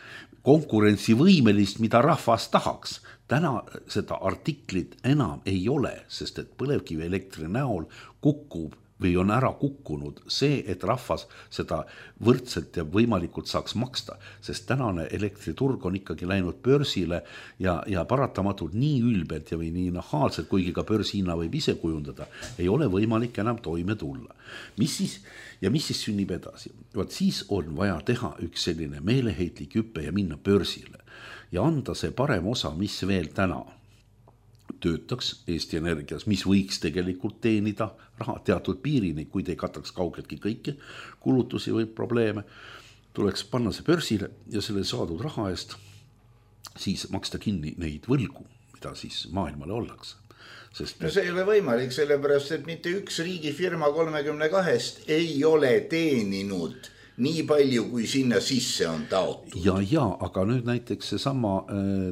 konkurentsivõimelist, mida rahvas tahaks. Täna seda artiklit enam ei ole, sest et põlevkivi elektri näol kukub või on ära kukkunud see, et rahvas seda võrdselt ja võimalikult saaks maksta, sest tänane elektriturg on ikkagi läinud börsile ja paratamatult nii ülbelt ja või nii nahaalselt, kuigi ka börsihinna võib ise kujundada, ei ole võimalik enam toime tulla. Mis siis sünnib edasi? Siis on vaja teha üks selline meeleheitlik hüppe ja minna börsile ja anda see parem osa, mis veel täna töötaks Eesti Energias, mis võiks tegelikult teenida raha teatud piirini, kuid ei kataks kaugeltki kõiki kulutusi või probleeme, tuleks panna see börsile ja selle saadud raha eest siis maksta kinni neid võlgu, mida siis maailmale ollakse. See ei ole võimalik, sellepärast, et mitte üks riigifirma 32 ei ole teeninud nii palju, kui sinna sisse on taotud. Ja, aga nüüd näiteks seesama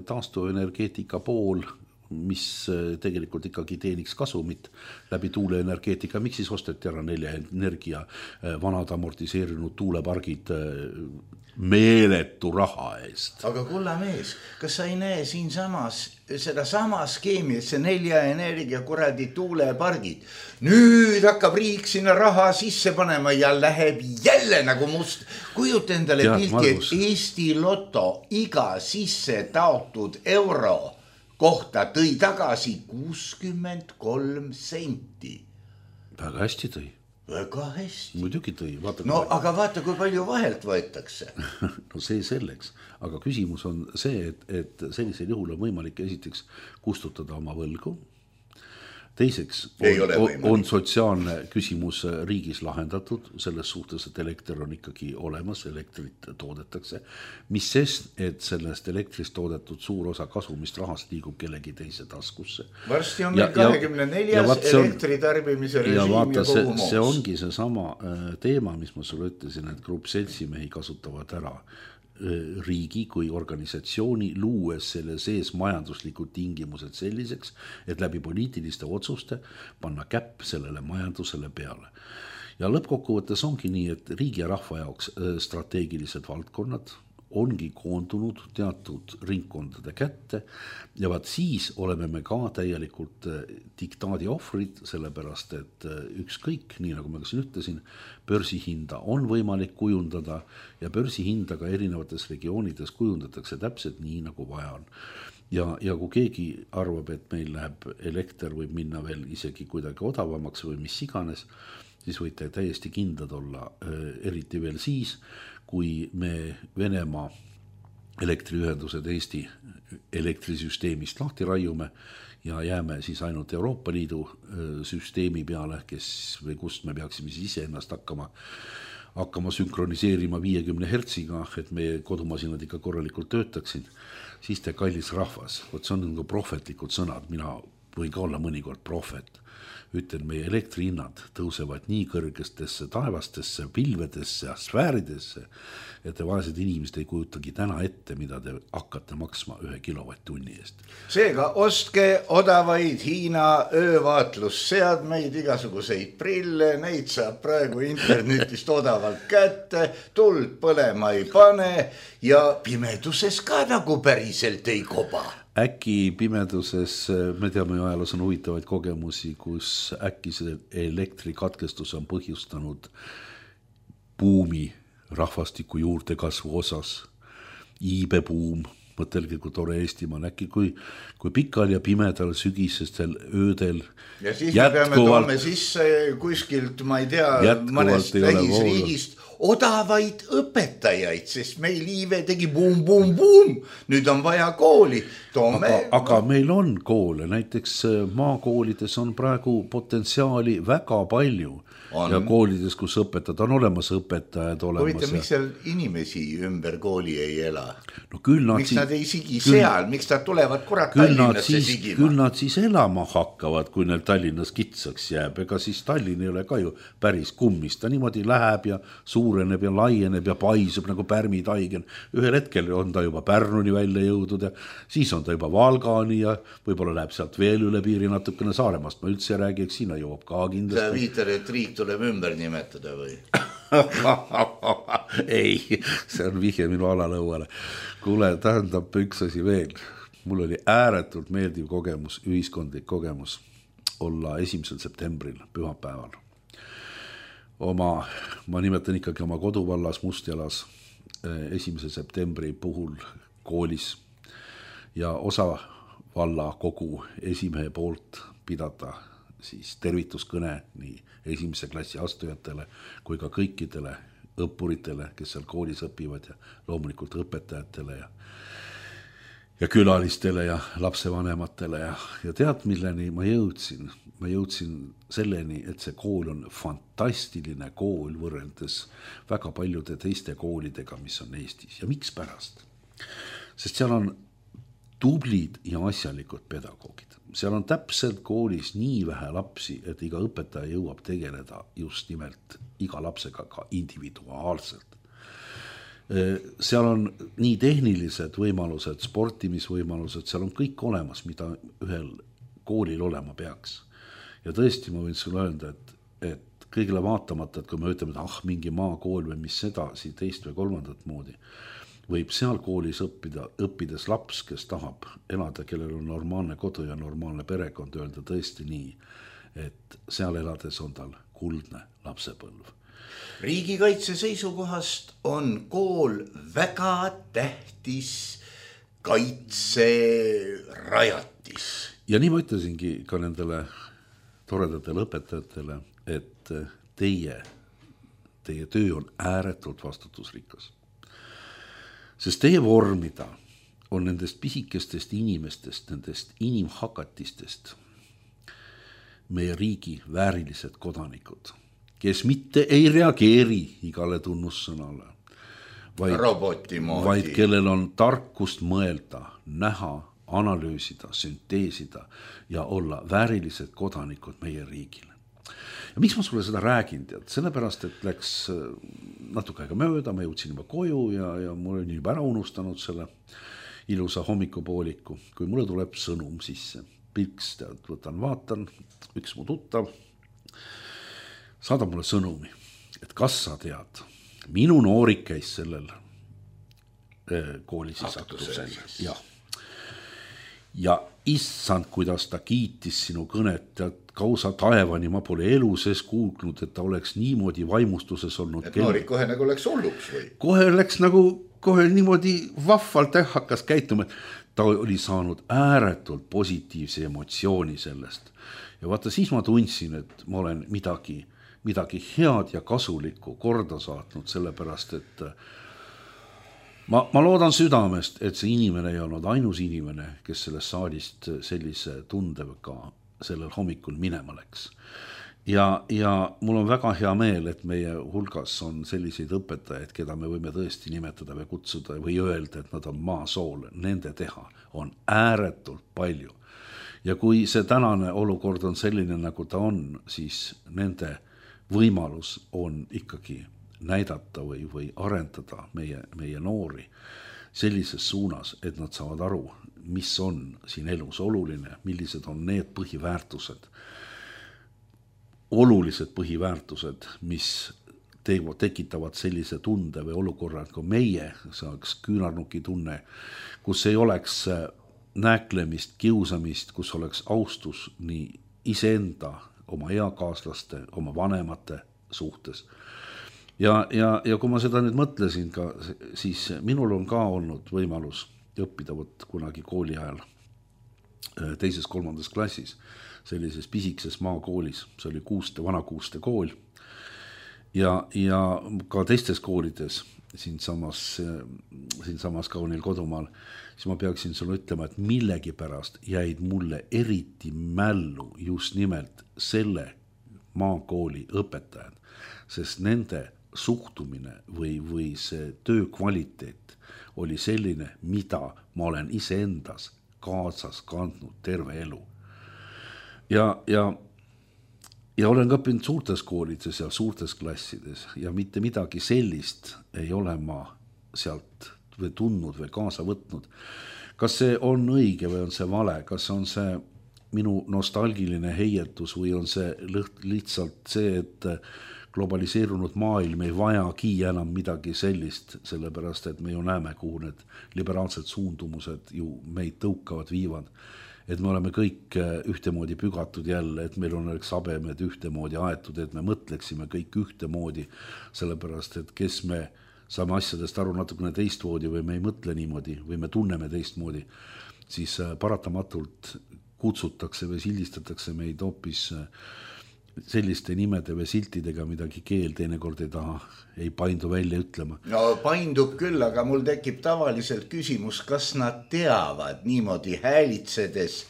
taastuvenergeetika pool, mis tegelikult ikkagi teeniks kasumit läbi tuuleenergeetika. Miks siis osteti ära 4 energia vanad amortiseerinud tuulepargid meeletu raha eest? Aga kulla mees, kas sa ei näe siin samas seda sama skeemi, et see 4 energia kuradi tuulepargid. Nüüd hakkab riik sinna raha sisse panema ja läheb jälle nagu must. Kujuta endale pilti, et Eesti Loto iga sisse taotud euro kohta tõi tagasi 63 senti. Väga hästi tõi. Väga hästi. Muidugi tõi. Aga vaata, kui palju vahelt võetakse. See selleks. Aga küsimus on see, et sellisel juhul on võimalik esiteks kustutada oma võlgu. teiseks on sotsiaalne küsimus riigis lahendatud selles suhtes, et elekter on ikkagi olemas, elektrit toodetakse, mis sest, et sellest elektrist toodetud suur osa kasumist rahast liigub kellegi teise taskusse. Varsti on meil 24. elektritarbimise režiim ja kogu moos. See ongi see sama teema, mis ma sulle ütlesin, et grupp seltsimehi kasutavad ära riigi kui organisatsiooni luues selle sees majanduslikud tingimused selliseks, et läbi poliitiliste otsuste panna käpp sellele majandusele peale. Ja lõppkokkuvõttes ongi nii, et riigi ja rahva jaoks strateegilised valdkonnad ongi koondunud teatud ringkondade kätte ja vaat siis oleme me ka täielikult diktaadi ohvrid, sellepärast et ükskõik, nii nagu ma ka siin ütlesin, börsihinda on võimalik kujundada ja börsihinda ka erinevates regioonides kujundatakse täpselt nii, nagu vaja on. Ja kui keegi arvab, et meil läheb elekter võib minna veel isegi kuidagi odavamaks või mis iganes, siis võite täiesti kindlad olla, eriti veel siis, kui me Venemaa elektriühendused Eesti elektrisüsteemist lahti raiume ja jääme siis ainult Euroopa Liidu süsteemi peale, või kust me peaksime siis ise ennast hakkama sünkroniseerima 50 hertsiga, et meie kodumasinad ikka korralikult töötaksid, siis te kallis rahvas, see on nagu prohvetlikud sõnad, mina võin ka olla mõnikord prohvet. Ütlen, meie elektrihinnad tõusevad nii kõrgestesse taevastesse, pilvedesse ja sfääridesse, et te vaesed inimesed ei kujutagi täna ette, mida te hakkate maksma 1 kilovatt-tunni eest. Seega ostke odavaid Hiina öövaatlusseadmeid, igasuguseid prille, neid saab praegu internetist odavalt kätte, tuld põlema ei pane ja pimeduses ka nagu päriselt ei koba. Äkki pimeduses, me teame ju ajaloos on huvitavaid kogemusi, kus äkki see elektrikatkestus on põhjustanud buumi rahvastiku juurdekasvu osas, iibebuum, mõtelge, kui tore Eestimaal, äkki kui pikal ja pimedal sügisestel öödel ja siis me peame toome sisse kuskilt, ma ei tea, mõnest lähisriigist odavaid õpetajaid, sest meil iive tegi buum, nüüd on vaja kooli. Aga meil on koole, näiteks maakoolides on praegu potentsiaali väga palju ja koolides, kus õpetajad on olemas, õpetajad olemas. Huvitav, miks seal inimesi ümber kooli ei ela? No, miks nad ei sigi seal, miks nad tulevad kurat Tallinnasse sigima? Küll nad siis elama hakkavad, kui neil Tallinnas kitsaks jääb, ega siis Tallinn ei ole ka ju päris kummist, ta niimoodi läheb ja suureneb ja laieneb ja paisub nagu pärmitaigen. Ühel hetkel on ta juba Pärnuni välja jõudnud ja siis on ta juba Valgani ja võib-olla läheb sealt veel üle piiri natukene Saaremaast. Ma üldse räägi, eks sinna jõuab ka kindlasti. Sa viitar, et riik tuleb ümber nimetada või? Ei, see on vihje minu alalõuale. Kuule, tähendab üks asi veel. Mul oli ääretult meeldiv kogemus, ühiskondlik kogemus olla 1. septembril pühapäeval. Ma nimetan ikkagi oma koduvallas Mustjalas 1. septembri puhul koolis ja osa valla kogu esimehe poolt pidada siis tervituskõne nii 1. klassi astujatele kui ka kõikidele õppuritele, kes seal koolis õpivad ja loomulikult õpetajatele ja külalistele ja lapsevanematele ja tead, milleni ma jõudsin? Ma jõudsin selleni, et see kool on fantastiline kool võrreldes väga paljude teiste koolidega, mis on Eestis. Ja miks pärast? Sest seal on tublid ja asjalikud pedagoogid. Seal on täpselt koolis nii vähe lapsi, et iga õpetaja jõuab tegeleda just nimelt iga lapsega ka individuaalselt. Seal on nii tehnilised võimalused, sportimisvõimalused, seal on kõik olemas, mida ühel koolil olema peaks. Ja tõesti ma võin sulle öelda, et kõigile vaatamata, et kui me ütleme, et mingi maakool või mis edasi, teist või kolmandat moodi, võib seal koolis õppides laps, kes tahab elada, kellel on normaalne kodu ja normaalne perekond, öelda tõesti nii, et seal elades on tal kuldne lapsepõlv. Riigikaitse seisukohast on kool väga tähtis kaitserajatis. Ja nii ma ütlesingi ka nendele toredatele õpetajatele, et teie töö on ääretult vastutusrikas. Sest teie vormida on nendest pisikestest inimestest, nendest inimhakatistest meie riigi väärilised kodanikud, kes mitte ei reageeri igale tunnussõnale, vaid kellel on tarkust mõelda, näha, analüüsida, sünteesida ja olla väärilised kodanikud meie riigile. Ja miks ma sulle seda räägin, tead? Sellepärast, et läks natuke aega mööda, ma jõudsin juba koju ja mul oli juba ära unustanud selle ilusa hommikupooliku, kui mulle tuleb sõnum sisse. Pilks, tead, võtan, vaatan, üks mu tuttav saadab mulle sõnumi, et kas sa tead, minu noorik käis sellel koolis aktusel. Ja issand, kuidas ta kiitis sinu kõnet, tead, kausa taevani, ma pole elu sees kuulnud, et ta oleks niimoodi vaimustuses olnud. Et noorik kohe nagu läks hulluks või? Kohe läks nagu, kohe niimoodi vahvalt hakkas käituma, et ta oli saanud ääretult positiivse emotsiooni sellest. Ja vaata, siis ma tundsin, et ma olen midagi head ja kasulikku korda saatnud, sellepärast, et ma loodan südamest, et see inimene ei olnud ainus inimene, kes sellest saalist sellise tundega sellel hommikul minema läks. Ja mul on väga hea meel, et meie hulgas on selliseid õpetajaid, keda me võime tõesti nimetada või kutsuda või öelda, et nad on maasool, nende teha on ääretult palju. Ja kui see tänane olukord on selline, nagu ta on, siis nende võimalus on ikkagi näidata või arendada meie noori sellises suunas, et nad saavad aru, mis on siin elus oluline, millised on need põhiväärtused, olulised põhiväärtused, mis tekitavad sellise tunde või olukorra, et kui meie saaks küünarnuki tunne, kus ei oleks nääklemist, kiusamist, kus oleks austus nii iseenda, oma eakaaslaste, oma vanemate suhtes. Ja kui ma seda nüüd mõtlesin ka, siis minul on ka olnud võimalus õppida kunagi kooli ajal 2.-3. klassis sellises pisikses maakoolis, see oli Vana-Kuuste kool ja ka teistes koolides siinsamas kaunil kodumaal, siis ma peaksin sulle ütlema, et millegipärast jäid mulle eriti mällu just nimelt selle maakooli õpetajad, sest nende suhtumine või see töö kvaliteet oli selline, mida ma olen iseendas kaasas kandnud terve elu. Ja olen ka õppinud suurtes koolides ja suurtes klassides ja mitte midagi sellist ei ole ma sealt või tundnud või kaasa võtnud. Kas see on õige või on see vale? Kas on see minu nostalgiline heietus või on see lihtsalt see, et globaliseerunud maailm ei vajagi enam midagi sellist, sellepärast et me ju näeme, kuhu need liberaalsed suundumused ju meid tõukavad viivad. Et me oleme kõik ühtemoodi pügatud jälle, et meil on sabemed ühtemoodi aetud, et me mõtleksime kõik ühtemoodi, sellepärast et kes me saame asjadest aru natukene teistmoodi või me ei mõtle niimoodi või me tunneme teistmoodi, siis paratamatult kutsutakse või sildistatakse meid hoopis selliste nimede või siltidega, midagi keel teinekord ei taha, ei paindu välja ütlema. No paindub küll, aga mul tekib tavaliselt küsimus, kas nad teavad niimoodi häälitsedes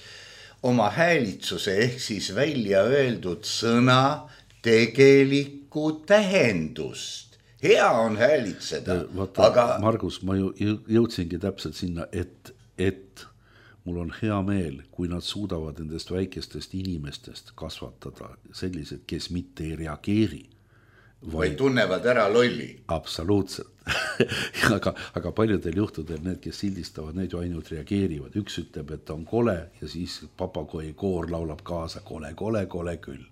oma häälitsuse ehk siis välja öeldud sõna tegelikku tähendust. Hea on häälitseda. Vaata, aga Margus, ma jõudsingi täpselt sinna, et mul on hea meel, kui nad suudavad nendest väikestest inimestest kasvatada sellised, kes mitte ei reageeri. Vaid tunnevad ära lolli. Absoluutselt. aga paljudel juhtudel need, kes sildistavad, need ju ainult reageerivad. Üks ütleb, et on kole ja siis papagoi koor laulab kaasa kole küll.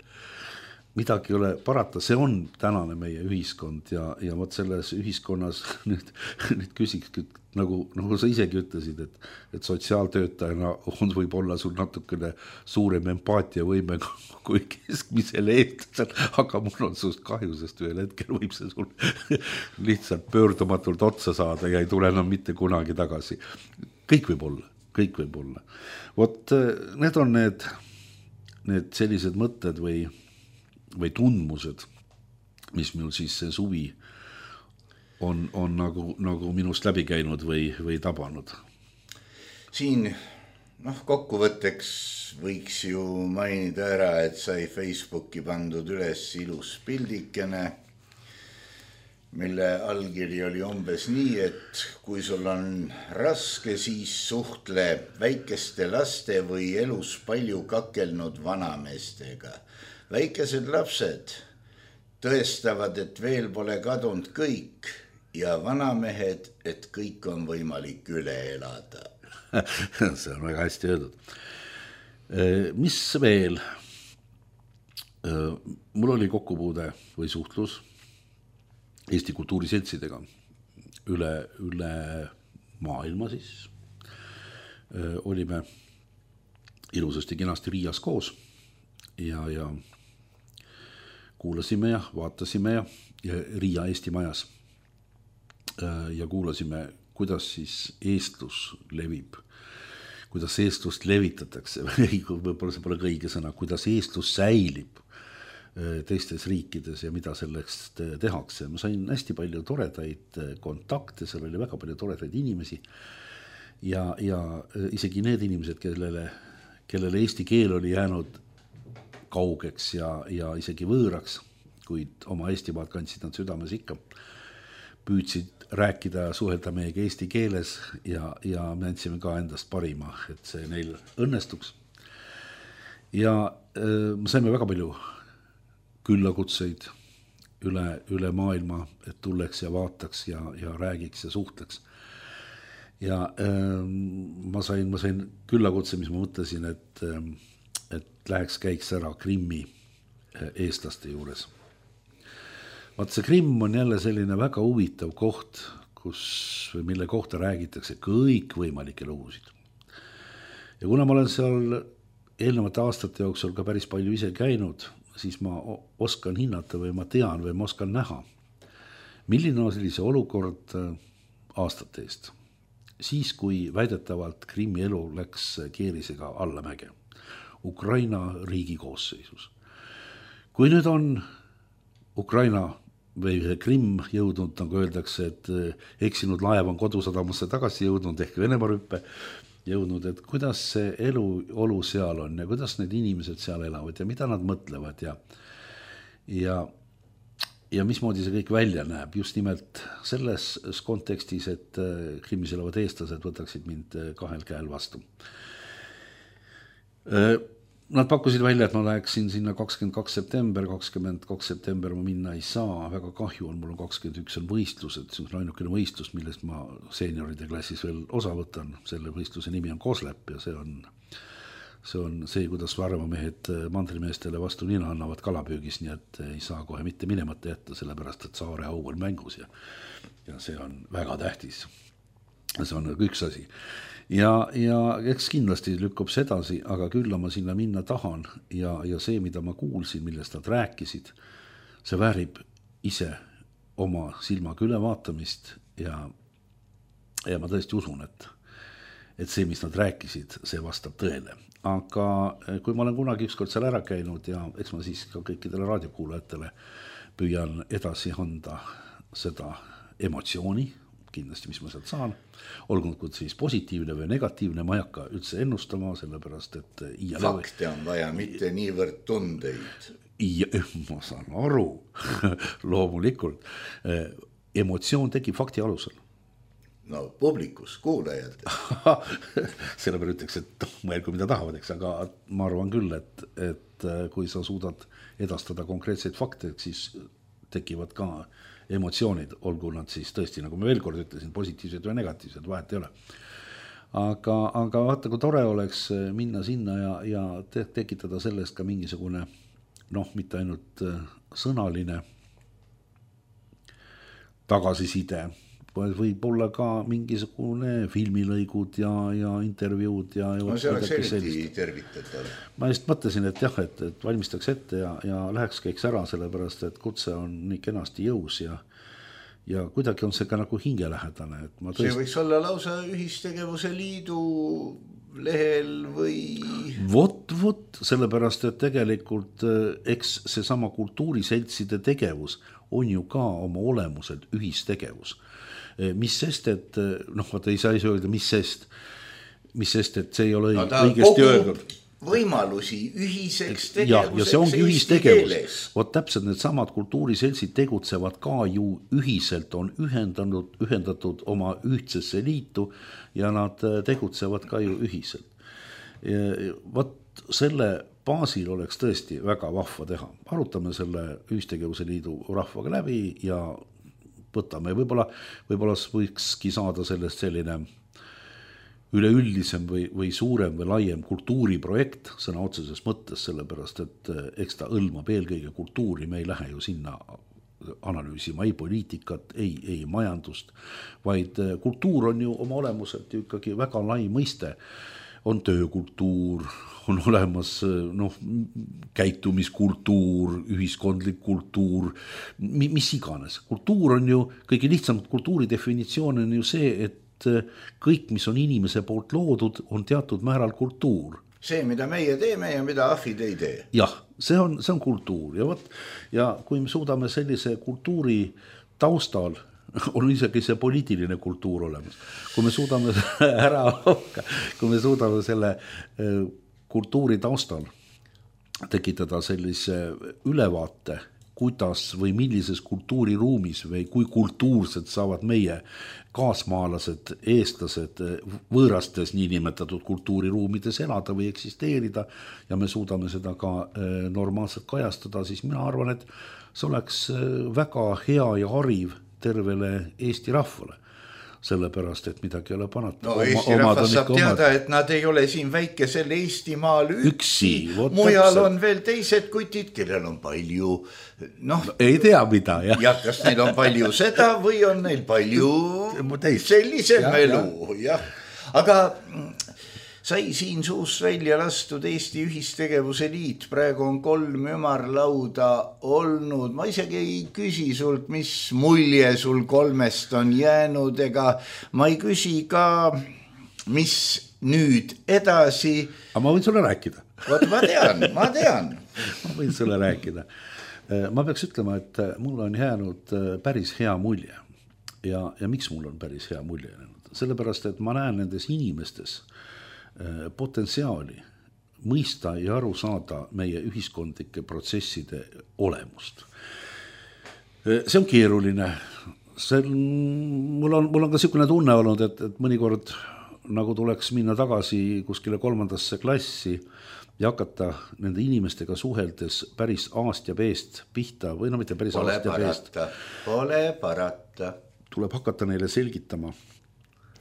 Midagi ei ole parata, see on tänane meie ühiskond ja võt selles ühiskonnas nüüd küsikski, nagu sa isegi ütlesid, et sotsiaaltöötajana võib olla sul natukene suurem empaatia võime kui keskmisele eestlasel, aga mul on sust kahju, sest ühel hetkel võib see sul lihtsalt pöördumatult otsa saada ja ei tule enam mitte kunagi tagasi. Kõik võib olla. Vot need on need sellised mõtted või tundmused, mis mul siis see suvi on nagu minust läbi käinud või tabanud. Siin kokkuvõtteks võiks ju mainida ära, et sai Facebooki pandud üles ilus pildikene, mille allkiri oli umbes nii, et kui sul on raske, siis suhtle väikeste laste või elus palju kakelnud vanameestega. Väikesed lapsed tõestavad, et veel pole kadunud kõik ja vanamehed, et kõik on võimalik üle elada. See on väga hästi öeldud. Mis veel? Mul oli kokkupuude või suhtlus Eesti kultuuriseltsidega üle maailma siis. Olime ilusasti kenasti Riias koos ja kuulasime ja vaatasime ja Riia Eesti majas ja kuulasime, kuidas siis eestlus levib, kuidas eestlust levitatakse, võib-olla see pole õige sõna, kuidas eestlus säilib teistes riikides ja mida selleks tehakse. Ma sain hästi palju toredaid kontakte, seal oli väga palju toredaid inimesi ja isegi need inimesed, kellele eesti keel oli jäänud kaugeks ja isegi võõraks, kuid oma Eestimaad kandsid nad südames ikka, püüdsid rääkida ja suhelda meiega eesti keeles ja me andsime ka endast parima, et see neil õnnestuks. Ja me saime väga palju küllakutseid üle maailma, et tulleks ja vaataks ja räägiks ja suhtleks. Ja ma sain küllakutse, mis ma mõtlesin, et läheks käiks ära Krimmi eestlaste juures. Vaat see Krimm on jälle selline väga huvitav koht, mille kohta räägitakse kõik võimalikke lugusid. Ja kuna ma olen seal eelnevate aastate jooksul ka päris palju ise käinud, siis ma oskan hinnata või ma tean või ma oskan näha, milline on sellise olukord aastate eest. Siis, kui väidetavalt Krimmi elu läks keerisega allamäge Ukraina riigi koosseisus. Kui nüüd on Ukraina või Krimm jõudnud, nagu öeldakse, et eksinud laev on kodusadamasse tagasi jõudnud ehk Venemaa rüppe jõudnud, et kuidas see olu seal on ja kuidas need inimesed seal elavad ja mida nad mõtlevad ja mismoodi see kõik välja näeb. Just nimelt selles kontekstis, et Krimmis elavad eestlased võtaksid mind kahel käel vastu. Nad pakkusid välja, et ma läheksin sinna 22. september ma minna ei saa, väga kahju on, mul on 21 on võistlused, see on ainukene võistlus, millest ma seenioride klassis veel osa võtan, selle võistluse nimi on Koslep ja see on see, kuidas varvamehed mandrimeestele vastu nina annavad kalapüügis, nii et ei saa kohe mitte minemata jätta, sellepärast et saare au on mängus ja see on väga tähtis. See on üks asi. Ja eks kindlasti lükkub see edasi, aga küll ma sinna minna tahan ja see, mida ma kuulsin, millest nad rääkisid, see väärib ise oma silmaga ülevaatamist ja ma tõesti usun, et see, mis nad rääkisid, see vastab tõele. Aga kui ma olen kunagi ükskord seal ära käinud ja eks ma siis ka kõikidele raadiokuulajatele püüan edasi anda seda emotsiooni, kindlasti, mis ma sealt saan, olgunud siis positiivne või negatiivne, ma ei hakka üldse ennustama, sellepärast, et fakte on vaja, mitte niivõrd tundeid. Ma saan aru, loomulikult. Emotsioon tekib fakti alusel. No publikus, kuulajad. Selle peale ütleks, et mõelgu mida tahavad, eks, aga ma arvan küll, et kui sa suudad edastada konkreetseid fakte, siis tekivad ka emotsioonid, olgu nad siis tõesti, nagu ma veel kord ütlesin, positiivsed või negatiivsed, vahet ei ole. Aga vaata, kui tore oleks minna sinna ja tekitada sellest ka mingisugune, mitte ainult sõnaline tagasiside, võib olla ka mingisugune filmilõigud ja intervjuud no see oleks eriti tervitatav. Ma just mõtlesin, et jah, et valmistaks ette ja läheks käiks ära, sellepärast, et kutse on nii kenasti jõus ja kuidagi on see ka nagu hingelähedane. See võiks olla lausa ühistegevuse liidu lehel või... Vot, sellepärast, et tegelikult eks see sama kultuuriseltside tegevus on ju ka oma olemuselt ühistegevus. Mis sest, et vaata ei saa öelda, mis sest. mis sest, et see ei ole õigesti öeldud. Võimalusi ühiseks tegevuseks ja see ongi ühistegevus. Vot täpselt need samad kultuuriseltsid tegutsevad ka ju ühiselt, on ühendatud oma ühtsesse liitu ja nad tegutsevad ka ju ühiselt. Vot selle baasil oleks tõesti väga vahva teha. Arutame selle ühistegevuse liidu rahvaga läbi ja võtame. Võib-olla võikski saada sellest selline üleüldisem või suurem või laiem kultuuriprojekt sõna otseses mõttes, sellepärast et eks ta hõlmab eelkõige kultuuri, me ei lähe ju sinna analüüsima ei poliitikat, ei majandust, vaid kultuur on ju oma olemuselt ju ikkagi väga lai mõiste. On töökultuur, on olemas käitumiskultuur, ühiskondlik kultuur, mis iganes. Kultuur on ju, kõige lihtsam kultuuri definitsioon on ju see, et kõik, mis on inimese poolt loodud, on teatud määral kultuur. See, mida meie teeme ja mida ahvid ei tee. Jah, see on kultuur ja kui me suudame sellise kultuuri taustal, on isegi see poliitiline kultuur olemas. Kui me suudame selle kultuuri taustal tekitada sellise ülevaate, kuidas või millises kultuuriruumis või kui kultuursed saavad meie kaasmaalased, eestlased võõrastes niinimetatud kultuuriruumides elada või eksisteerida ja me suudame seda ka normaalselt kajastada, siis mina arvan, et see oleks väga hea ja hariv tervele Eesti rahvale. Sellepärast, et midagi ei ole panata. No Eesti rahvas saab teada, et nad ei ole siin väikesel Eestimaal üksi. Mujal on veel teised kutid, kellel on palju, ei tea mida, jah. Ja kas neil on palju seda või on neil palju sellisem elu, jah. Aga sai siin suust välja lastud Eesti Ühistegevuse Liit, praegu on 3 ümarlauda olnud. Ma isegi ei küsi sult, mis mulje sul 3 on jäänud, ega ma ei küsi ka, mis nüüd edasi. Aga ma võin sulle rääkida. Vot ma tean. Ma võin sulle rääkida. Ma peaks ütlema, et mul on jäänud päris hea mulje. Ja miks mul on päris hea mulje jäänud? Sellepärast, et ma näen nendes inimestes potentsiaali mõista ja aru saada meie ühiskondlike protsesside olemust. See on keeruline. Mul on ka selline tunne olnud, et mõnikord nagu tuleks minna tagasi kuskile 3. klassi ja hakata nende inimestega suheldes päris aast ja peest pihta või mitte päris aast ja peest. Pole parata. Tuleb hakata neile selgitama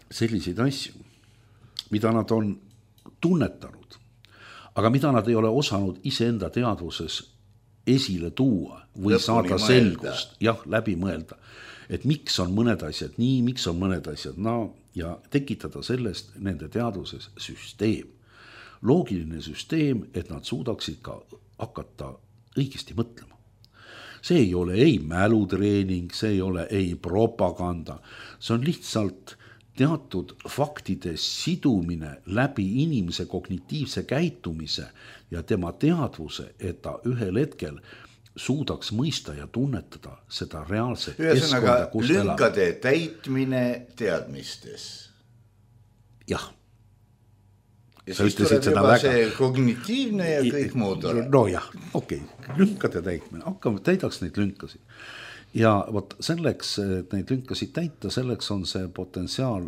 selliseid asju, mida nad on tunnetanud, aga mida nad ei ole osanud iseenda teadvuses esile tuua või saada selgust, läbi mõelda, et miks on mõned asjad nii, miks on mõned asjad ja tekitada sellest nende teadvuses süsteem. Loogiline süsteem, et nad suudaksid ka hakata õigesti mõtlema. See ei ole ei mälutreening, see ei ole ei propaganda, see on lihtsalt teatud faktide sidumine läbi inimese kognitiivse käitumise ja tema teadvuse, et ta ühel hetkel suudaks mõista ja tunnetada seda reaalset keskkonda, kus elab. Lünkade täitmine teadmistes. Jah. Ja siis tuleb juba see kognitiivne ja kõik muud ole. No jah, okei. Lünkade täitmine. Täidaks neid lünkasid. Ja võt selleks, et neid lünkasid täita, selleks on see potentsiaal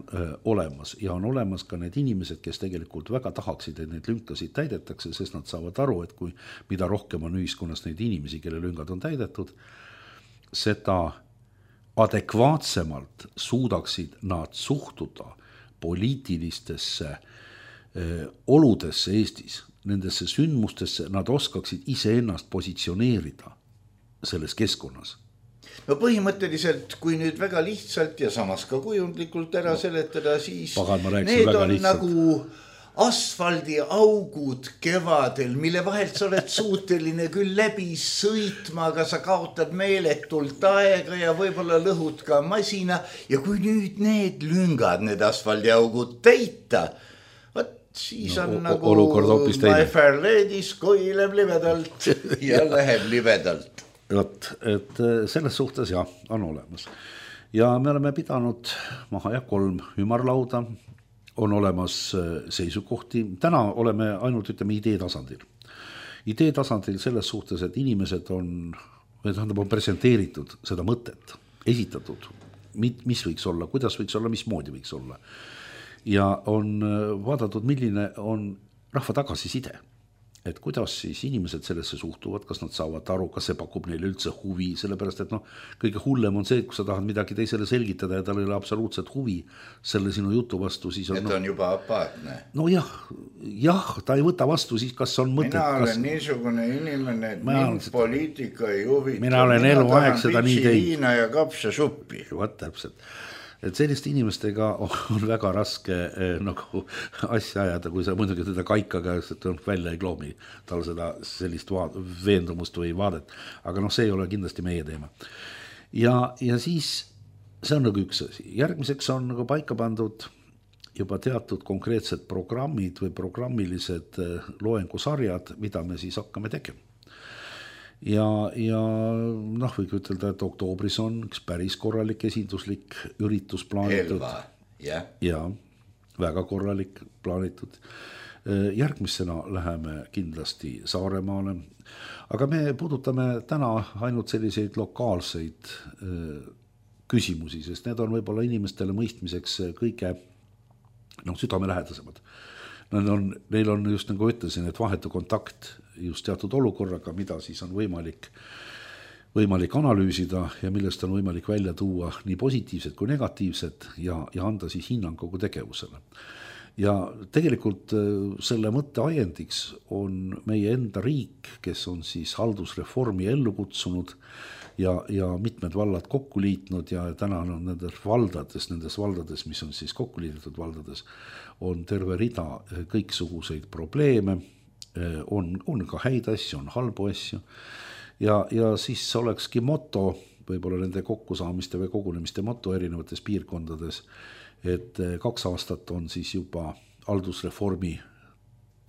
olemas ja on olemas ka need inimesed, kes tegelikult väga tahaksid, et neid lünkasid täidetakse, sest nad saavad aru, et kui mida rohkem on ühiskonnas neid inimesi, kelle lüngad on täidetud, seda adekvaatsemalt suudaksid nad suhtuda poliitilistesse oludesse Eestis, nendesse sündmustesse, nad oskaksid iseennast positsioneerida selles keskkonnas. No põhimõtteliselt, kui nüüd väga lihtsalt ja samas ka kujundlikult ära seletada, siis need on nagu asfaldiaugud kevadel, mille vahelt sa oled suuteline küll läbi sõitma, aga sa kaotad meeletult aega ja võib-olla lõhud ka masina. Ja kui nüüd need lüngad, need asfaldiaugud täita, siis on nagu My Fair Lady's koileb libedalt ja läheb libedalt. Et selles suhtes on olemas. Ja me oleme pidanud maha 3 ümarlauda, on olemas seisukohti, täna oleme ainult ütleme idee tasandil. Idee tasandil selles suhtes, et inimesed on presenteeritud seda mõtet, esitatud, mis võiks olla, kuidas võiks olla, mismoodi võiks olla. Ja on vaadatud, milline on rahva tagasiside. Et kuidas siis inimesed sellesse suhtuvad, kas nad saavad aru, kas see pakub neile üldse huvi, sellepärast, et kõige hullem on see, kui sa tahad midagi teisele selgitada ja tal ei ole absoluutselt huvi selle sinu jutu vastu, siis on... Et on juba apaatne. No jah, ta ei võta vastu, siis kas on mõtet... Mina olen niisugune inimene, et mind poliitika ei huvita. Mina olen eluaeg seda nii teinud. Viina ja kapsasuppi. Vaat täpselt. Et selliste inimestega on väga raske nagu asja ajada, kui sa muidugi teda kaikaga välja ei kloomi tal seda sellist veendumust või vaadet. Aga see ei ole kindlasti meie teema. Ja siis see on nagu üks asi. Järgmiseks on nagu paika pandud juba teatud konkreetsed programmid või programmilised loengusarjad, mida me siis hakkame tegema. Ja võiks ütelda, et oktoobris on üks päris korralik esinduslik üritus plaanitud. Ja, väga korralik plaanitud. Järgmisena läheme kindlasti Saaremaale. Aga me puudutame täna ainult selliseid lokaalseid küsimusi, sest need on võib-olla inimestele mõistmiseks kõige südamelähedasemad. Neil on just nagu ütlesin, et vahetu kontakt just teatud olukorraga, mida siis on võimalik analüüsida ja millest on võimalik välja tuua nii positiivsed kui negatiivsed ja anda siis hinnang kogu tegevusele. Ja tegelikult selle mõtte ajendiks on meie enda riik, kes on siis haldusreformi ellu kutsunud ja mitmed vallad kokku liitnud ja täna on nendes valdades, mis on siis kokku liidetud valdades, on terve rida kõiksuguseid probleeme, on ka häid asju, on halbu asju ja siis olekski moto, võib-olla nende kokkusaamiste või kogunemiste moto erinevates piirkondades, et 2 aastat on siis juba haldusreformi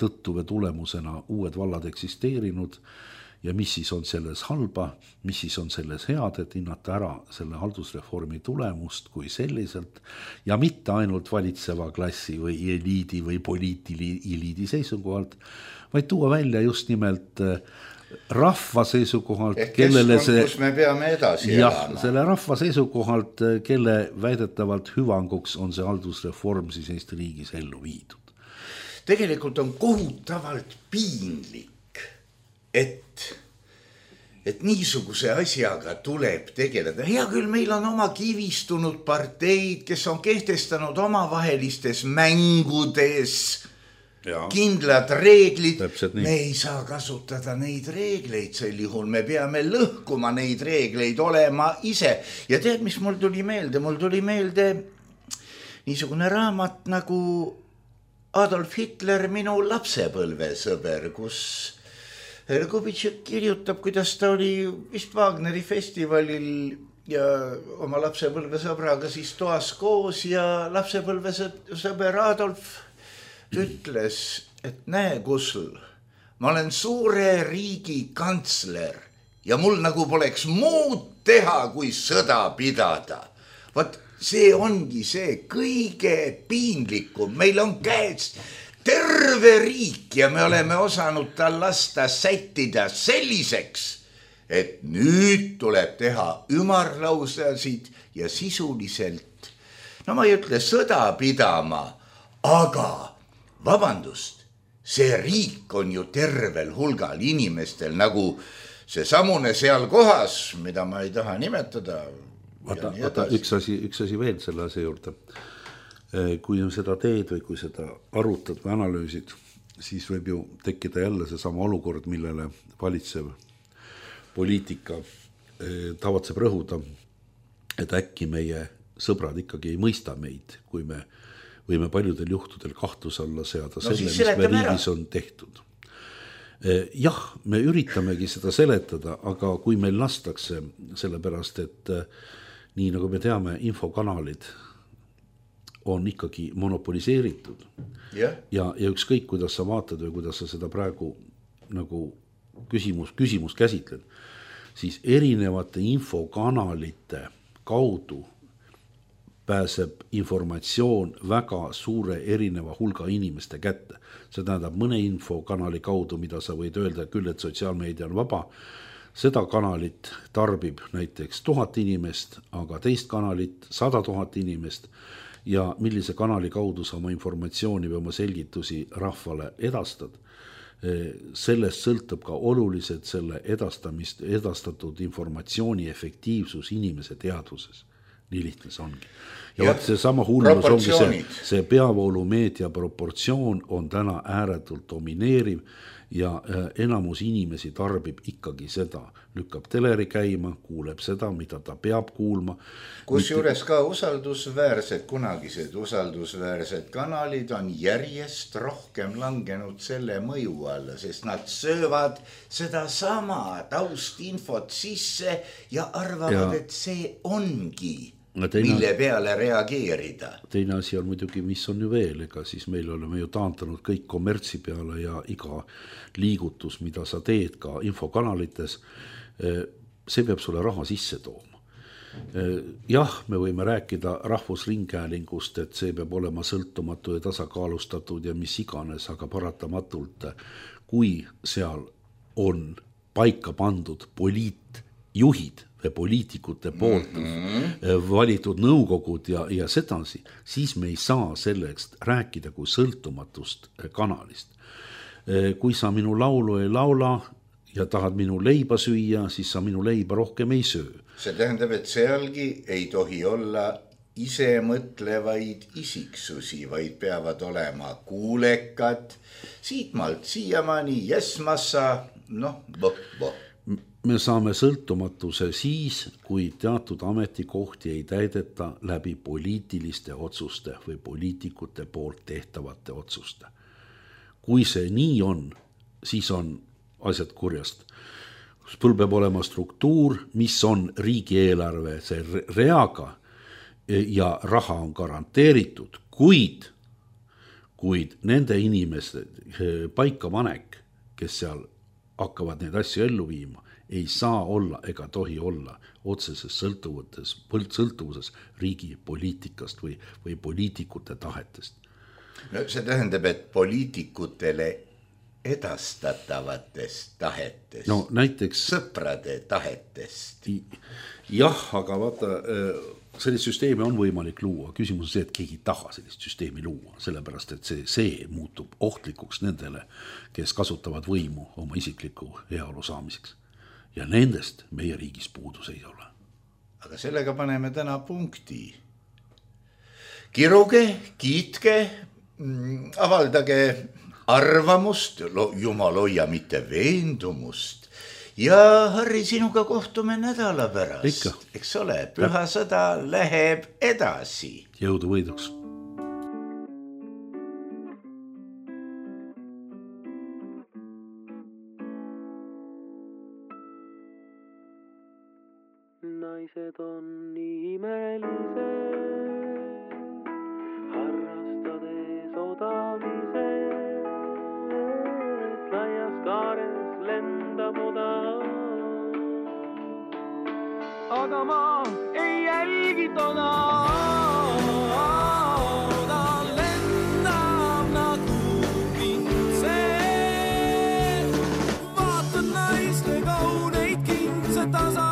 tõttu või tulemusena uued vallad eksisteerinud ja mis siis on selles halba, mis siis on selles head, et hinnata ära selle haldusreformi tulemust kui selliselt ja mitte ainult valitseva klassi või eliidi või poliitiliidi seisukohalt, vaid tuua välja just nimelt rahva seisukohalt, kellele see... kus me peame edasi elama. Selle rahva seisukohalt, kelle väidetavalt hüvanguks on see haldusreform siis Eesti riigis ellu viidud. Tegelikult on kohutavalt piinlik, et niisuguse asjaga tuleb tegeleda. Hea küll, meil on oma kivistunud parteid, kes on kehtestanud omavahelistes mängudes kindlad reeglid. Me ei saa kasutada neid reegleid sel juhul. Me peame lõhkuma neid reegleid olema ise. Ja tead, mis mul tuli meelde? Mul tuli meelde niisugune raamat nagu Adolf Hitler, minu lapsepõlvesõber, kus Kubitšek kirjutab, kuidas ta oli vist Wagneri festivalil ja oma lapsepõlvesõbraga siis toas koos ja lapsepõlvesõber Adolf ütles, et näe, Kusl, ma olen suure riigi kantsler ja mul nagu poleks muud teha, kui sõda pidada. Vaat see ongi see kõige piinlikum. Meil on käes terve riik ja me oleme osanud tal lasta sättida selliseks, et nüüd tuleb teha ümarlausasid ja sisuliselt, no ma ei ütle sõda pidama, aga vabandust, see riik on ju tervel hulgal inimestel, nagu see samune seal kohas, mida ma ei taha nimetada. Vaata, üks asi veel selle asja juurde. Kui seda teed või kui seda arutad või analüüsid, siis võib ju tekkida jälle see sama olukord, millele valitsev poliitika tavatseb rõhuda, et äkki meie sõbrad ikkagi ei mõista meid, kui me võime paljudel juhtudel kahtluse alla seada selle, mis me riigis on tehtud. Jah, me üritamegi seda seletada, aga kui meil lastakse sellepärast, et nii nagu me teame, infokanalid on ikkagi monopoliseeritud ja ükskõik, kuidas sa vaatad või kuidas sa seda praegu nagu küsimus käsitled, siis erinevate infokanalite kaudu pääseb informatsioon väga suure erineva hulga inimeste kätte. See tähendab mõne infokanali kaudu, mida sa võid öelda küll, et sotsiaalmeedia on vaba. Seda kanalit tarbib näiteks 1000 inimest, aga teist kanalit 100 000 inimest ja millise kanali kaudu sa oma informatsiooni või oma selgitusi rahvale edastad. Sellest sõltub ka oluliselt selle edastatud informatsiooni efektiivsus inimese teadvuses. Nii lihtne see ongi. Ja vaat see sama hullus ongi see peavoolumeedia proportsioon on täna ääretult domineeriv ja enamus inimesi tarbib ikkagi seda. Lükkab teleri käima, kuuleb seda, mida ta peab kuulma. Kusjuures ka kunagised usaldusväärsed kanalid on järjest rohkem langenud selle mõju alla, sest nad söövad seda sama taustinfot sisse ja arvavad, et see ongi, mille peale reageerida. Teine asi on muidugi, mis on ju veel, ega siis meil oleme ju taantanud kõik kommertsi peale ja iga liigutus, mida sa teed ka infokanalites, see peab sulle raha sisse tooma. Jah, me võime rääkida rahvusringhäälingust, et see peab olema sõltumatu ja tasakaalustatud ja mis iganes, aga paratamatult, kui seal on paika pandud poliitjuhid või poliitikute poolt valitud nõukogud ja sedasi, siis me ei saa sellest rääkida kui sõltumatust kanalist. Kui sa minu laulu ei laula ja tahad minu leiba süüa, siis sa minu leiba rohkem ei söö. See tähendab, et sealgi ei tohi olla ise mõtlevaid isiksusi, vaid peavad olema kuulekad, siitmalt siiamaani, massa, Me saame sõltumatuse siis, kui teatud ametikohti ei täideta läbi poliitiliste otsuste või poliitikute poolt tehtavate otsuste. Kui see nii on, siis on asjad kurjast. Sul peab olema struktuur, mis on riigieelarve see reaga ja raha on garanteeritud, kuid nende inimeste paikapanek, kes seal hakkavad neid asju ellu viima, ei saa olla ega tohi olla otseses sõltuvuses riigi poliitikast või poliitikute tahetest. No, see tähendab, et poliitikutele edastatavatest tahetest, no, näiteks, sõprade tahetest. Jah, aga vaata, sellist süsteemi on võimalik luua. Küsimus on see, et keegi taha sellist süsteemi luua, sellepärast, et see muutub ohtlikuks nendele, kes kasutavad võimu oma isikliku heaolu saamiseks. Ja nendest meie riigis puudus ei ole. Aga sellega paneme täna punkti. Kiruge, kiitke, avaldage arvamust, jumal hoia mitte veendumust. Ja Harri, sinuga kohtume nädala pärast. Ikka. Eks ole, pühasõda läheb edasi. Jõudu võiduks. Naised on imelised, harrastades odamised, laias kaares lendab oda. Aga ma ei jälgi toda, ta lendab nagu kintse. Vaatad naiste kauneid kintse tasa.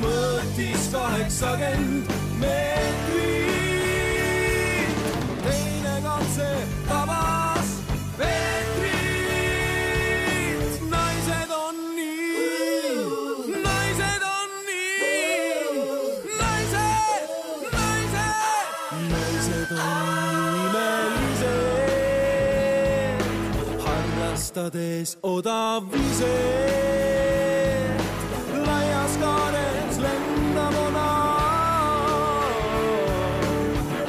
Mõõtis 80 meetrit, teine katse tava harrastades odavise. Laias kaares lendab ona,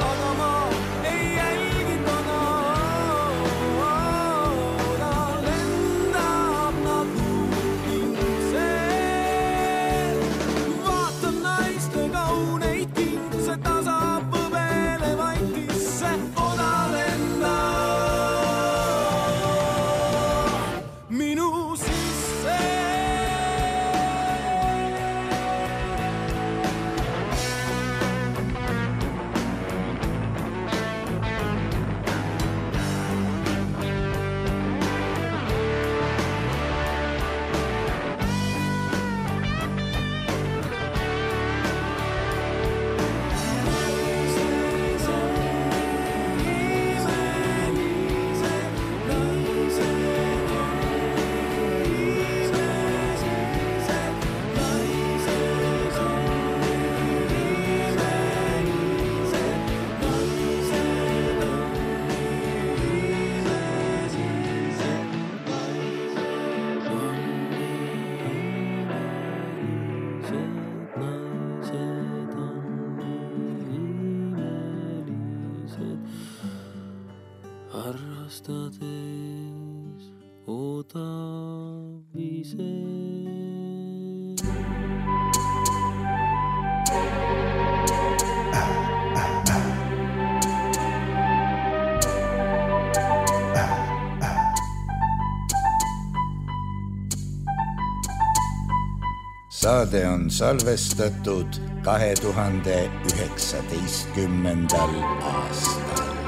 aga ma ei jälgi tona. Ta lendab nagu kingse, vaatab naiste kauneid kingse, ta saab võbele vaitisse, oda lendab minu sisse. Harrastades odavise. Saade on salvestatud 2019. aastal.